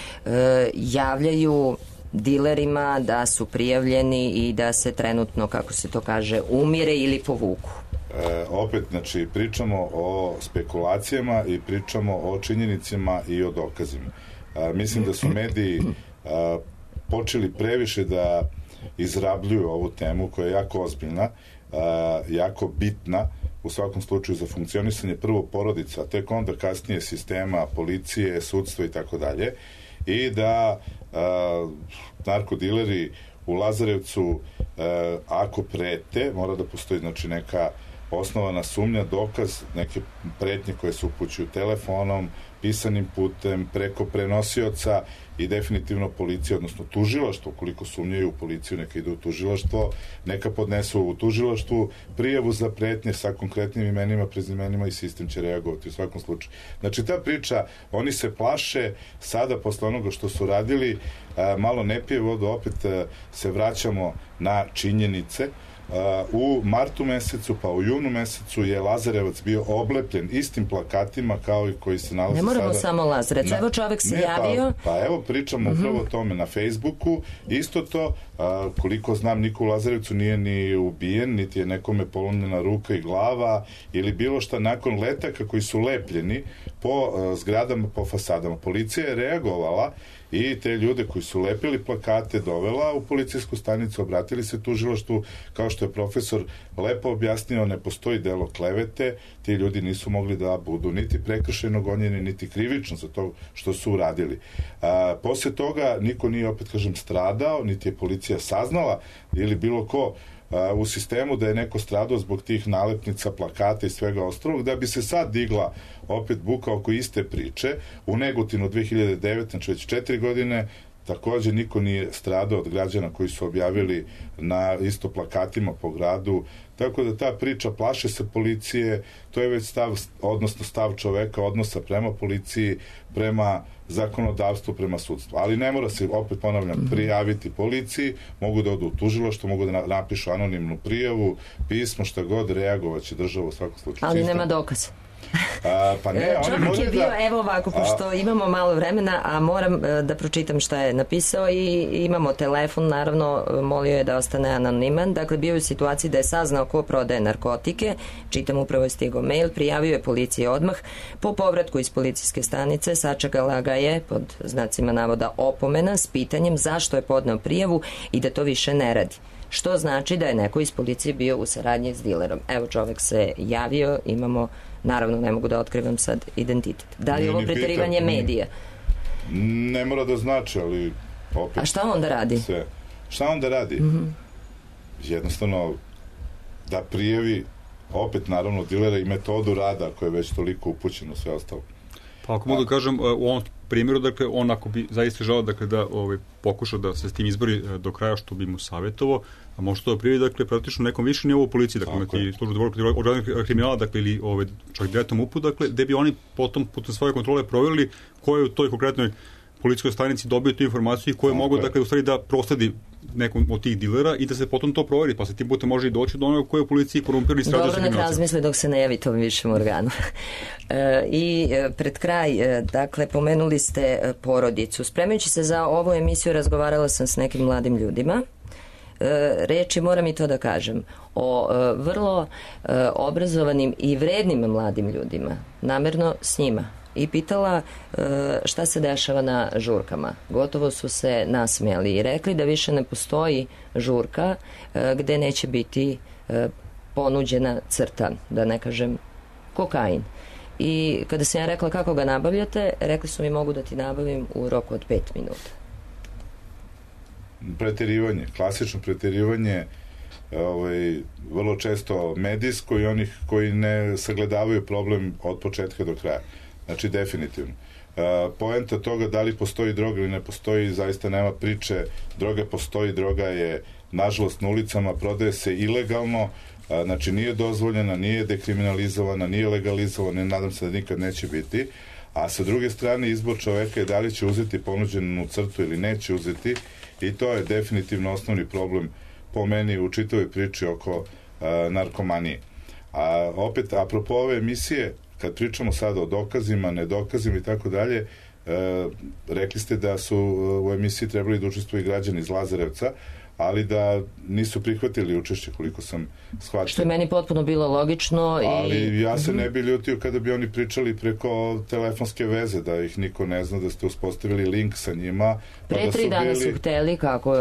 javljaju dilerima da su prijavljeni i da se trenutno, kako se to kaže, umire ili povuku. Opet, znači, pričamo o spekulacijama i pričamo o činjenicama i o dokazima. Mislim da su mediji počeli previše da izrabljuju ovu temu koja je jako ozbiljna, jako bitna u svakom slučaju za funkcionisanje prvo porodica, a tek onda kasnije sistema, policije, sudstva i tako dalje, i da narkodileri u Lazarevcu ako prete, mora da postoji, znači, neka osnovana sumnja, dokaz, neke pretnje koje se upućuju telefonom, pisanim putem, preko prenosioca, i definitivno policija, odnosno tužilaštvo, koliko sumnjaju u policiju, neka idu u tužilaštvo, neka podnesu u tužilaštvu prijavu za pretnje sa konkretnim imenima, prezimenima, i sistem će reagovati u svakom slučaju. Znači, ta priča, oni se plaše sada posle onoga što su radili, malo ne pije vodu, opet se vraćamo na činjenice. U martu mesecu, pa u junu mesecu je Lazarevac bio oblepljen istim plakatima kao i koji se nalaze sada. Ne moramo samo Lazarevac, evo čovek se javio. Pa evo pričamo upravo o tome na Facebooku, isto to, koliko znam, niko u Lazarevcu nije ni ubijen, niti je nekome polomljena ruka i glava ili bilo šta nakon letaka koji su lepljeni po zgradama, po fasadama. Policija je reagovala i te ljude koji su lepili plakate dovela u policijsku stanicu, obratili se tužilaštvu, kao što je profesor lepo objasnio, ne postoji delo klevete, ti ljudi nisu mogli da budu niti prekršajno gonjeni, niti krivično za to što su uradili. Posle toga niko nije, opet kažem, stradao, niti je policija saznala ili bilo ko u sistemu da je neko stradao zbog tih nalepnica, plakata i svega ostalog, da bi se sad digla opet buka oko iste priče. U Negotinu 2009, znači već 4 godine, takođe niko nije stradao od građana koji su objavili na isto plakatima po gradu, tako da ta priča plaše se policije, to je već stav čoveka, odnosa prema policiji, prema zakonodavstvu, prema sudstvu. Ali ne mora se, opet ponavljam, prijaviti policiji, mogu da odu u tužilaštvo, mogu da napišu anonimnu prijavu, pismo, šta god, reagovaće država u svakom slučaju. Ali nema dokaza. Pa ne, čovjek je bio, evo ovako, pošto imamo malo vremena, a moram da pročitam šta je napisao i imamo telefon, naravno, molio je da ostane anoniman. Dakle, bio je u situaciji da je saznao ko prodaje narkotike, čitam, upravo je stigao mail, prijavio je policiji odmah. Po povratku iz policijske stanice sačekala ga je, pod znacima navoda, opomena s pitanjem zašto je podneo prijavu i da to više ne radi. Što znači da je neko iz policije bio u saradnji s dilerom. Evo, čovek se javio, imamo, naravno, ne mogu da otkrivam sad identitet. Da li je ovo preterivanje medija? Ne mora da znači, ali opet... A šta onda radi? Šta onda radi? Jednostavno, da prijavi opet, naravno, dilera i metodu rada koja je već toliko upućena, sve ostalo. Pa ako mogu da kažem, u ovom primjeru, dakle, on ako bi zaista želao, dakle, da pokuša da se s tim izbori do kraja, što bi mu savjetovao, a može to da prijavi, dakle, praktično nekom više nivou policiji, dakle, imati službu za borbu protiv organizovanog kriminala, dakle, ili čak direktnom MUP-u, dakle, gde bi oni potom putem svoje kontrole provjerili ko je u toj konkretnoj policijskoj stanici dobio tu informaciju i ko je mogu, dakle, u stvari da prosledi nekom od tih dilera i da se potom to proveri, pa se tim putem može i doći do onoga koje u policiji korumpirani strađa sa kriminalcem. Dobro, nek razmisli dok se ne javi tom višem organu. I pred kraj, dakle, pomenuli ste porodicu. Spremajući se za ovu emisiju, razgovarala sam s nekim mladim ljudima. Reči, moram i to da kažem, o vrlo obrazovanim i vrednim mladim ljudima, namerno s njima, i pitala šta se dešava na žurkama. Gotovo su se nasmijali i rekli da više ne postoji žurka gde neće biti ponuđena crta, da ne kažem kokain. I kada sam ja rekla kako ga nabavljate, rekli su mi mogu da ti nabavim u roku od 5 minuta. Preterivanje, klasično preterivanje, vrlo često medijsko i onih koji ne sagledavaju problem od početka do kraja. Znači, definitivno. Poenta toga da li postoji droga ili ne postoji, zaista nema priče. Droga postoji, droga je, nažalost, na ulicama, prodaje se ilegalno, znači nije dozvoljena, nije dekriminalizovana, nije legalizovana, nadam se da nikad neće biti. A sa druge strane, izbor čoveka je da li će uzeti ponuđenu crtu ili neće uzeti, i to je definitivno osnovni problem po meni u čitavoj priči oko narkomanije. A opet, apropo ove emisije, kad pričamo sada o dokazima, nedokazima i tako dalje, rekli ste da su u emisiji trebali da učestvuju građani iz Lazarevca, ali da nisu prihvatili učešće, koliko sam shvatio. Što je meni potpuno bilo logično. Ali ja se ne bi ljutio kada bi oni pričali preko telefonske veze, da ih niko ne zna, da ste uspostavili link sa njima. Pre 3 dana su hteli, kako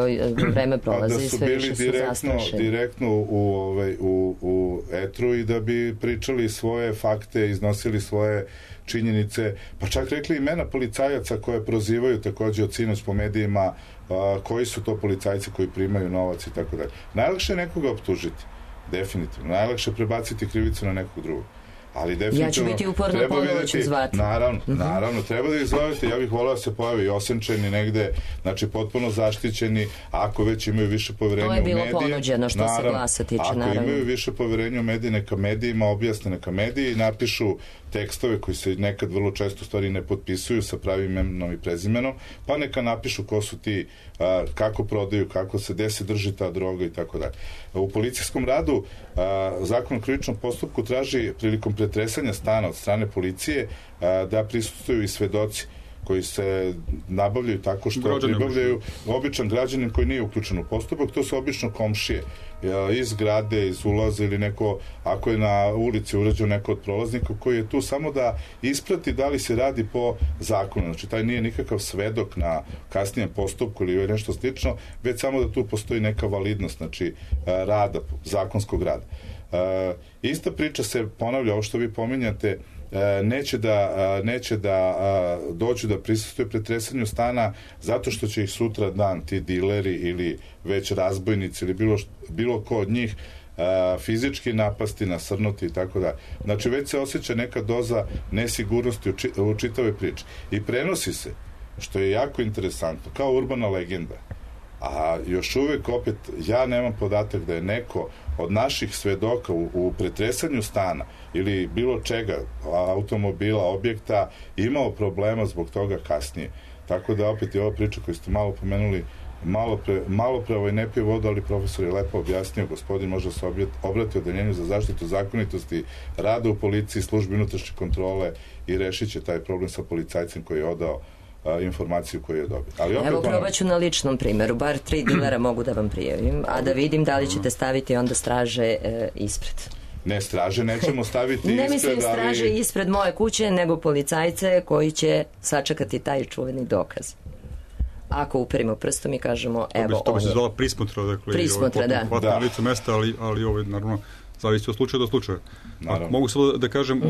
vreme prolazi, sve više su zastrašeni. Da su bili direktno u etru i da bi pričali svoje fakte, iznosili svoje činjenice, pa čak rekli imena policajaca koje prozivaju takođe od sinoć po medijima, koji su to policajci koji primaju novac i tako dalje. Najlakše je nekoga optužiti, definitivno. Najlakše je prebaciti krivicu na nekog drugog. Ali definitivno... Ja ću biti uporno, ponovo ću zvati. Naravno, treba da ih zovete. Ja bih volao da se pojavi osenčeni negde, znači potpuno zaštićeni, ako već imaju više poverenja u medije. To je bilo ponuđeno što se glasa tiče, naravno. Ako imaju više poverenja u medije, neka medijima objasne, neka mediji napišu tekstove koji se nekad vrlo često stvari ne potpisuju sa pravim imenom i prezimenom, pa neka napišu ko su ti, kako prodaju, kako se, gde se drži ta droga i tako dalje. U policijskom radu Zakon o krivičnom postupku traži prilikom pretresanja stana od strane policije da prisustvuju i svedoci koji se nabavljaju tako što pribavljaju običan građanin koji nije uključen u postupak, to su obično komšije iz zgrade, iz ulaza ili neko, ako je na ulici urađen neko od prolaznika koji je tu samo da isprati da li se radi po zakonu. Znači, taj nije nikakav svedok na kasnijem postupku ili nešto slično, već samo da tu postoji neka validnost, znači rada, zakonskog rada. Ista priča se ponavlja, ovo što vi pominjate, neće da dođu da prisustuje pretresanju stana zato što će ih sutra dan ti dileri ili već razbojnici ili bilo ko od njih fizički napasti, nasrnuti i tako da. Znači već se osjeća neka doza nesigurnosti u čitave priče i prenosi se, što je jako interesantno, kao urbana legenda. A još uvek, opet, ja nemam podatak da je neko od naših svedoka u pretresanju stana ili bilo čega, automobila, objekta, imao problema zbog toga kasnije. Tako da, opet, je ova priča koju ste malo pomenuli malo pre ne pije vodu, ali profesor je lepo objasnio, gospodin može se obrati odeljenju za zaštitu zakonitosti rada u policiji, službi unutrašnje kontrole i rešit će taj problem sa policajcem koji je odao informaciju koju je dobio. Ali evo, probat ću na ličnom primjeru. Bar 3 dilera mogu da vam prijavim, a da vidim da li ćete staviti onda straže ispred. Ne, straže nećemo staviti ispred, ne mislim straže ispred moje kuće, nego policajce koji će sačekati taj čuveni dokaz. Ako uperimo prstom i kažemo, evo to bi se zvala prismotra, dakle, prismotra, na licu mesta, ali naravno zavisi od slučaja do slučaja. Mogu samo da kažem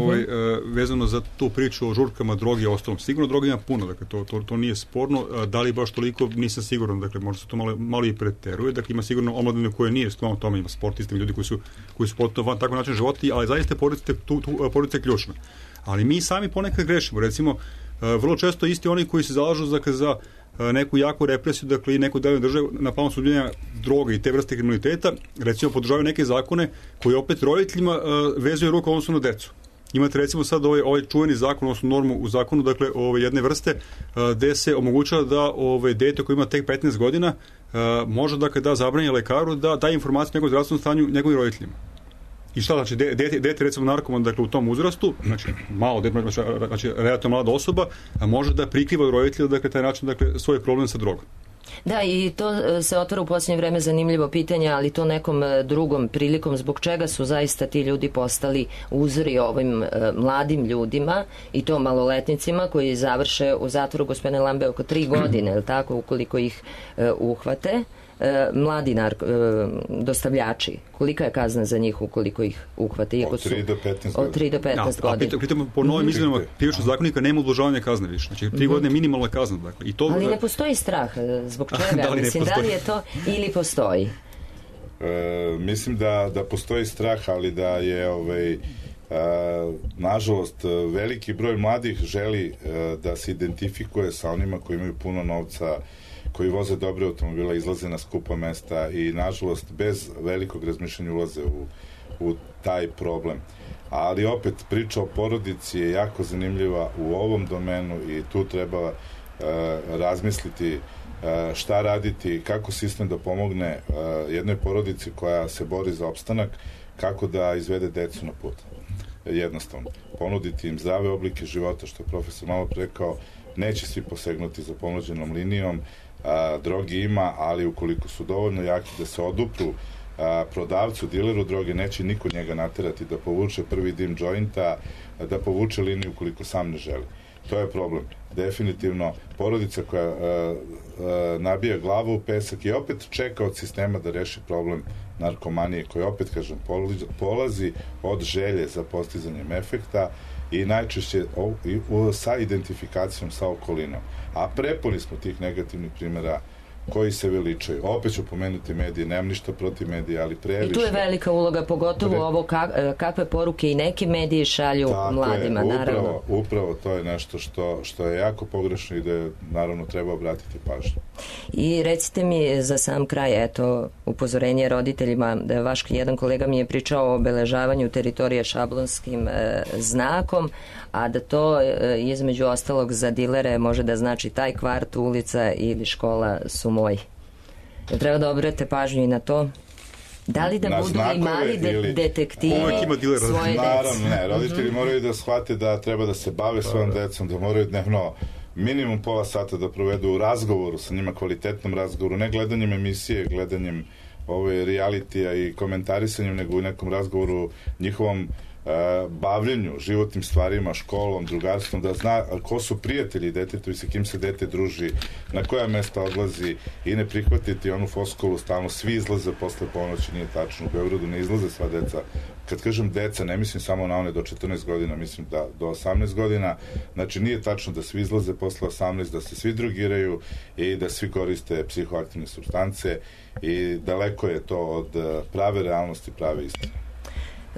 vezano za tu priču o žurkama, drogi i ostalom. Sigurno droga ima puno, dakle, to nije sporno. Da li baš toliko, nisam siguran, dakle, možda se to malo i preteruje. Dakle, ima sigurno omladine koje nije stvarno tome, ima sportisti, ljudi koji su potpuno van takav način života, ali zaista porodica je ključna. Ali mi sami ponekad grešimo. Recimo, vrlo često isti oni koji se zalažu za neku jaku represiju, dakle i neku dalju državu na planu suzbijanja droga i te vrste kriminaliteta, recimo podržavaju neke zakone koji opet roditeljima vezuju ruku odnosno na decu. Imate recimo sad ovaj čuveni zakon, odnosno normu u zakonu, dakle jedne vrste gde se omogućava da dete koje ima tek 15 godina može dakle da zabrani lekaru da daje informaciju o njegovom zdravstvenom stanju njegovim roditeljima. I šta znači, dete recimo narkoman, dakle u tom uzrastu, znači malo dete, znači relativno mlada osoba, može da prikriva od roditelja, dakle taj način, dakle svoj problem sa drogom. Da, i to se otvara u posljednje vreme zanimljivo pitanje, ali to nekom drugom prilikom, zbog čega su zaista ti ljudi postali uzori ovim mladim ljudima i to maloletnicima koji završe u zatvoru, gospodine Lambe, oko 3 godine, je li tako, ukoliko ih uhvate. Mladi dostavljači, kolika je kazna za njih ukoliko ih uhvate? Od 3 do 15 godina. Od 3 do 15 godina. Pritom po novim izmenama krivičnog zakonika nema ublažavanja kazne više. Znači 3 godine je minimalna kazna. Dakle. Ali ne postoji strah. Zbog čega? Mislim, da li je to ili postoji? Mislim da postoji strah, ali da je nažalost veliki broj mladih želi da se identifikuje sa onima koji imaju puno novca, koji voze dobre automobila, izlaze na skupa mesta i nažalost bez velikog razmišljanja ulaze u taj problem. Ali opet priča o porodici je jako zanimljiva u ovom domenu i tu treba razmisliti šta raditi, kako sistem da pomogne jednoj porodici koja se bori za opstanak, kako da izvede decu na put. Jednostavno, ponuditi im zdrave oblike života, što je profesor malo rekao, neće svi posegnuti za ponuđenom linijom, drogi ima, ali ukoliko su dovoljno jaki da se odupru prodavcu, dileru droge, neće niko njega naterati da povuče prvi dim džointa, da povuče liniju ukoliko sam ne želi. To je problem. Definitivno, porodica koja nabija glavu u pesak i opet čeka od sistema da reši problem narkomanije, koji opet, kažem, polazi od želje za postizanjem efekta i najčešće sa identifikacijom sa okolinom. A prepuni smo tih negativnih primjera koji se veličaju. Opet ću pomenuti medije, nemam ništa protiv medija, ali previše. I tu je velika uloga, pogotovo ovo kakve poruke i neki mediji šalju mladima, naravno. Upravo to je nešto što je jako pogrešno i da naravno treba obratiti pažnju. I recite mi za sam kraj, eto, upozorenje roditeljima, da vaš jedan kolega mi je pričao o obeležavanju teritorije šablonskim znakom, a da to između ostalog za dilere može da znači taj kvart, ulica ili škola su moji. Treba da obrate pažnju i na to. Da li da na budu i mali detektivi svoje dece? Naravno, ne. Roditelji moraju da shvate da treba da se bave svojom decom, da moraju dnevno minimum pola sata da provedu u razgovoru sa njima, kvalitetnom razgovoru, ne gledanjem emisije, gledanjem realitija i komentarisanjem, nego u nekom razgovoru njihovom bavljenju, životnim stvarima, školom, drugarstvom, da zna ko su prijatelji detetu i sa kim se dete druži, na koja mesta odlazi i ne prihvatiti onu foskulu stalno, svi izlaze posle ponoći, nije tačno, u Beogradu ne izlaze sva deca. Kad kažem deca, ne mislim samo na one do 14 godina, mislim da do 18 godina, znači nije tačno da svi izlaze posle 18, da se svi drogiraju i da svi koriste psihoaktivne supstance i daleko je to od prave realnosti, prave istine.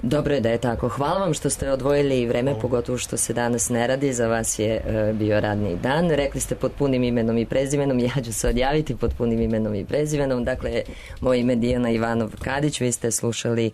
Dobro je da je tako. Hvala vam što ste odvojili vreme, pogotovo što se danas ne radi. Za vas je bio radni dan. Rekli ste pod punim imenom i prezimenom. Ja ću se odjaviti pod punim imenom i prezimenom. Dakle, moje ime Dijana Ivanov-Kadić. Vi ste slušali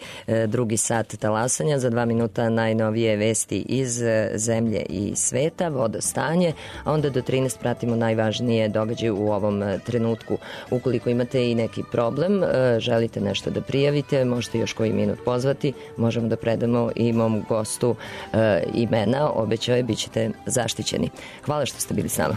drugi sat talasanja. Za 2 minuta najnovije vesti iz zemlje i sveta, vodostanje, a onda do 13 pratimo najvažnije događaje u ovom trenutku. Ukoliko imate i neki problem, želite nešto da prijavite, možete još koji minut pozvati, možemo da predamo i mom gostu imena, obećao je, bit ćete zaštićeni. Hvala što ste bili s nama.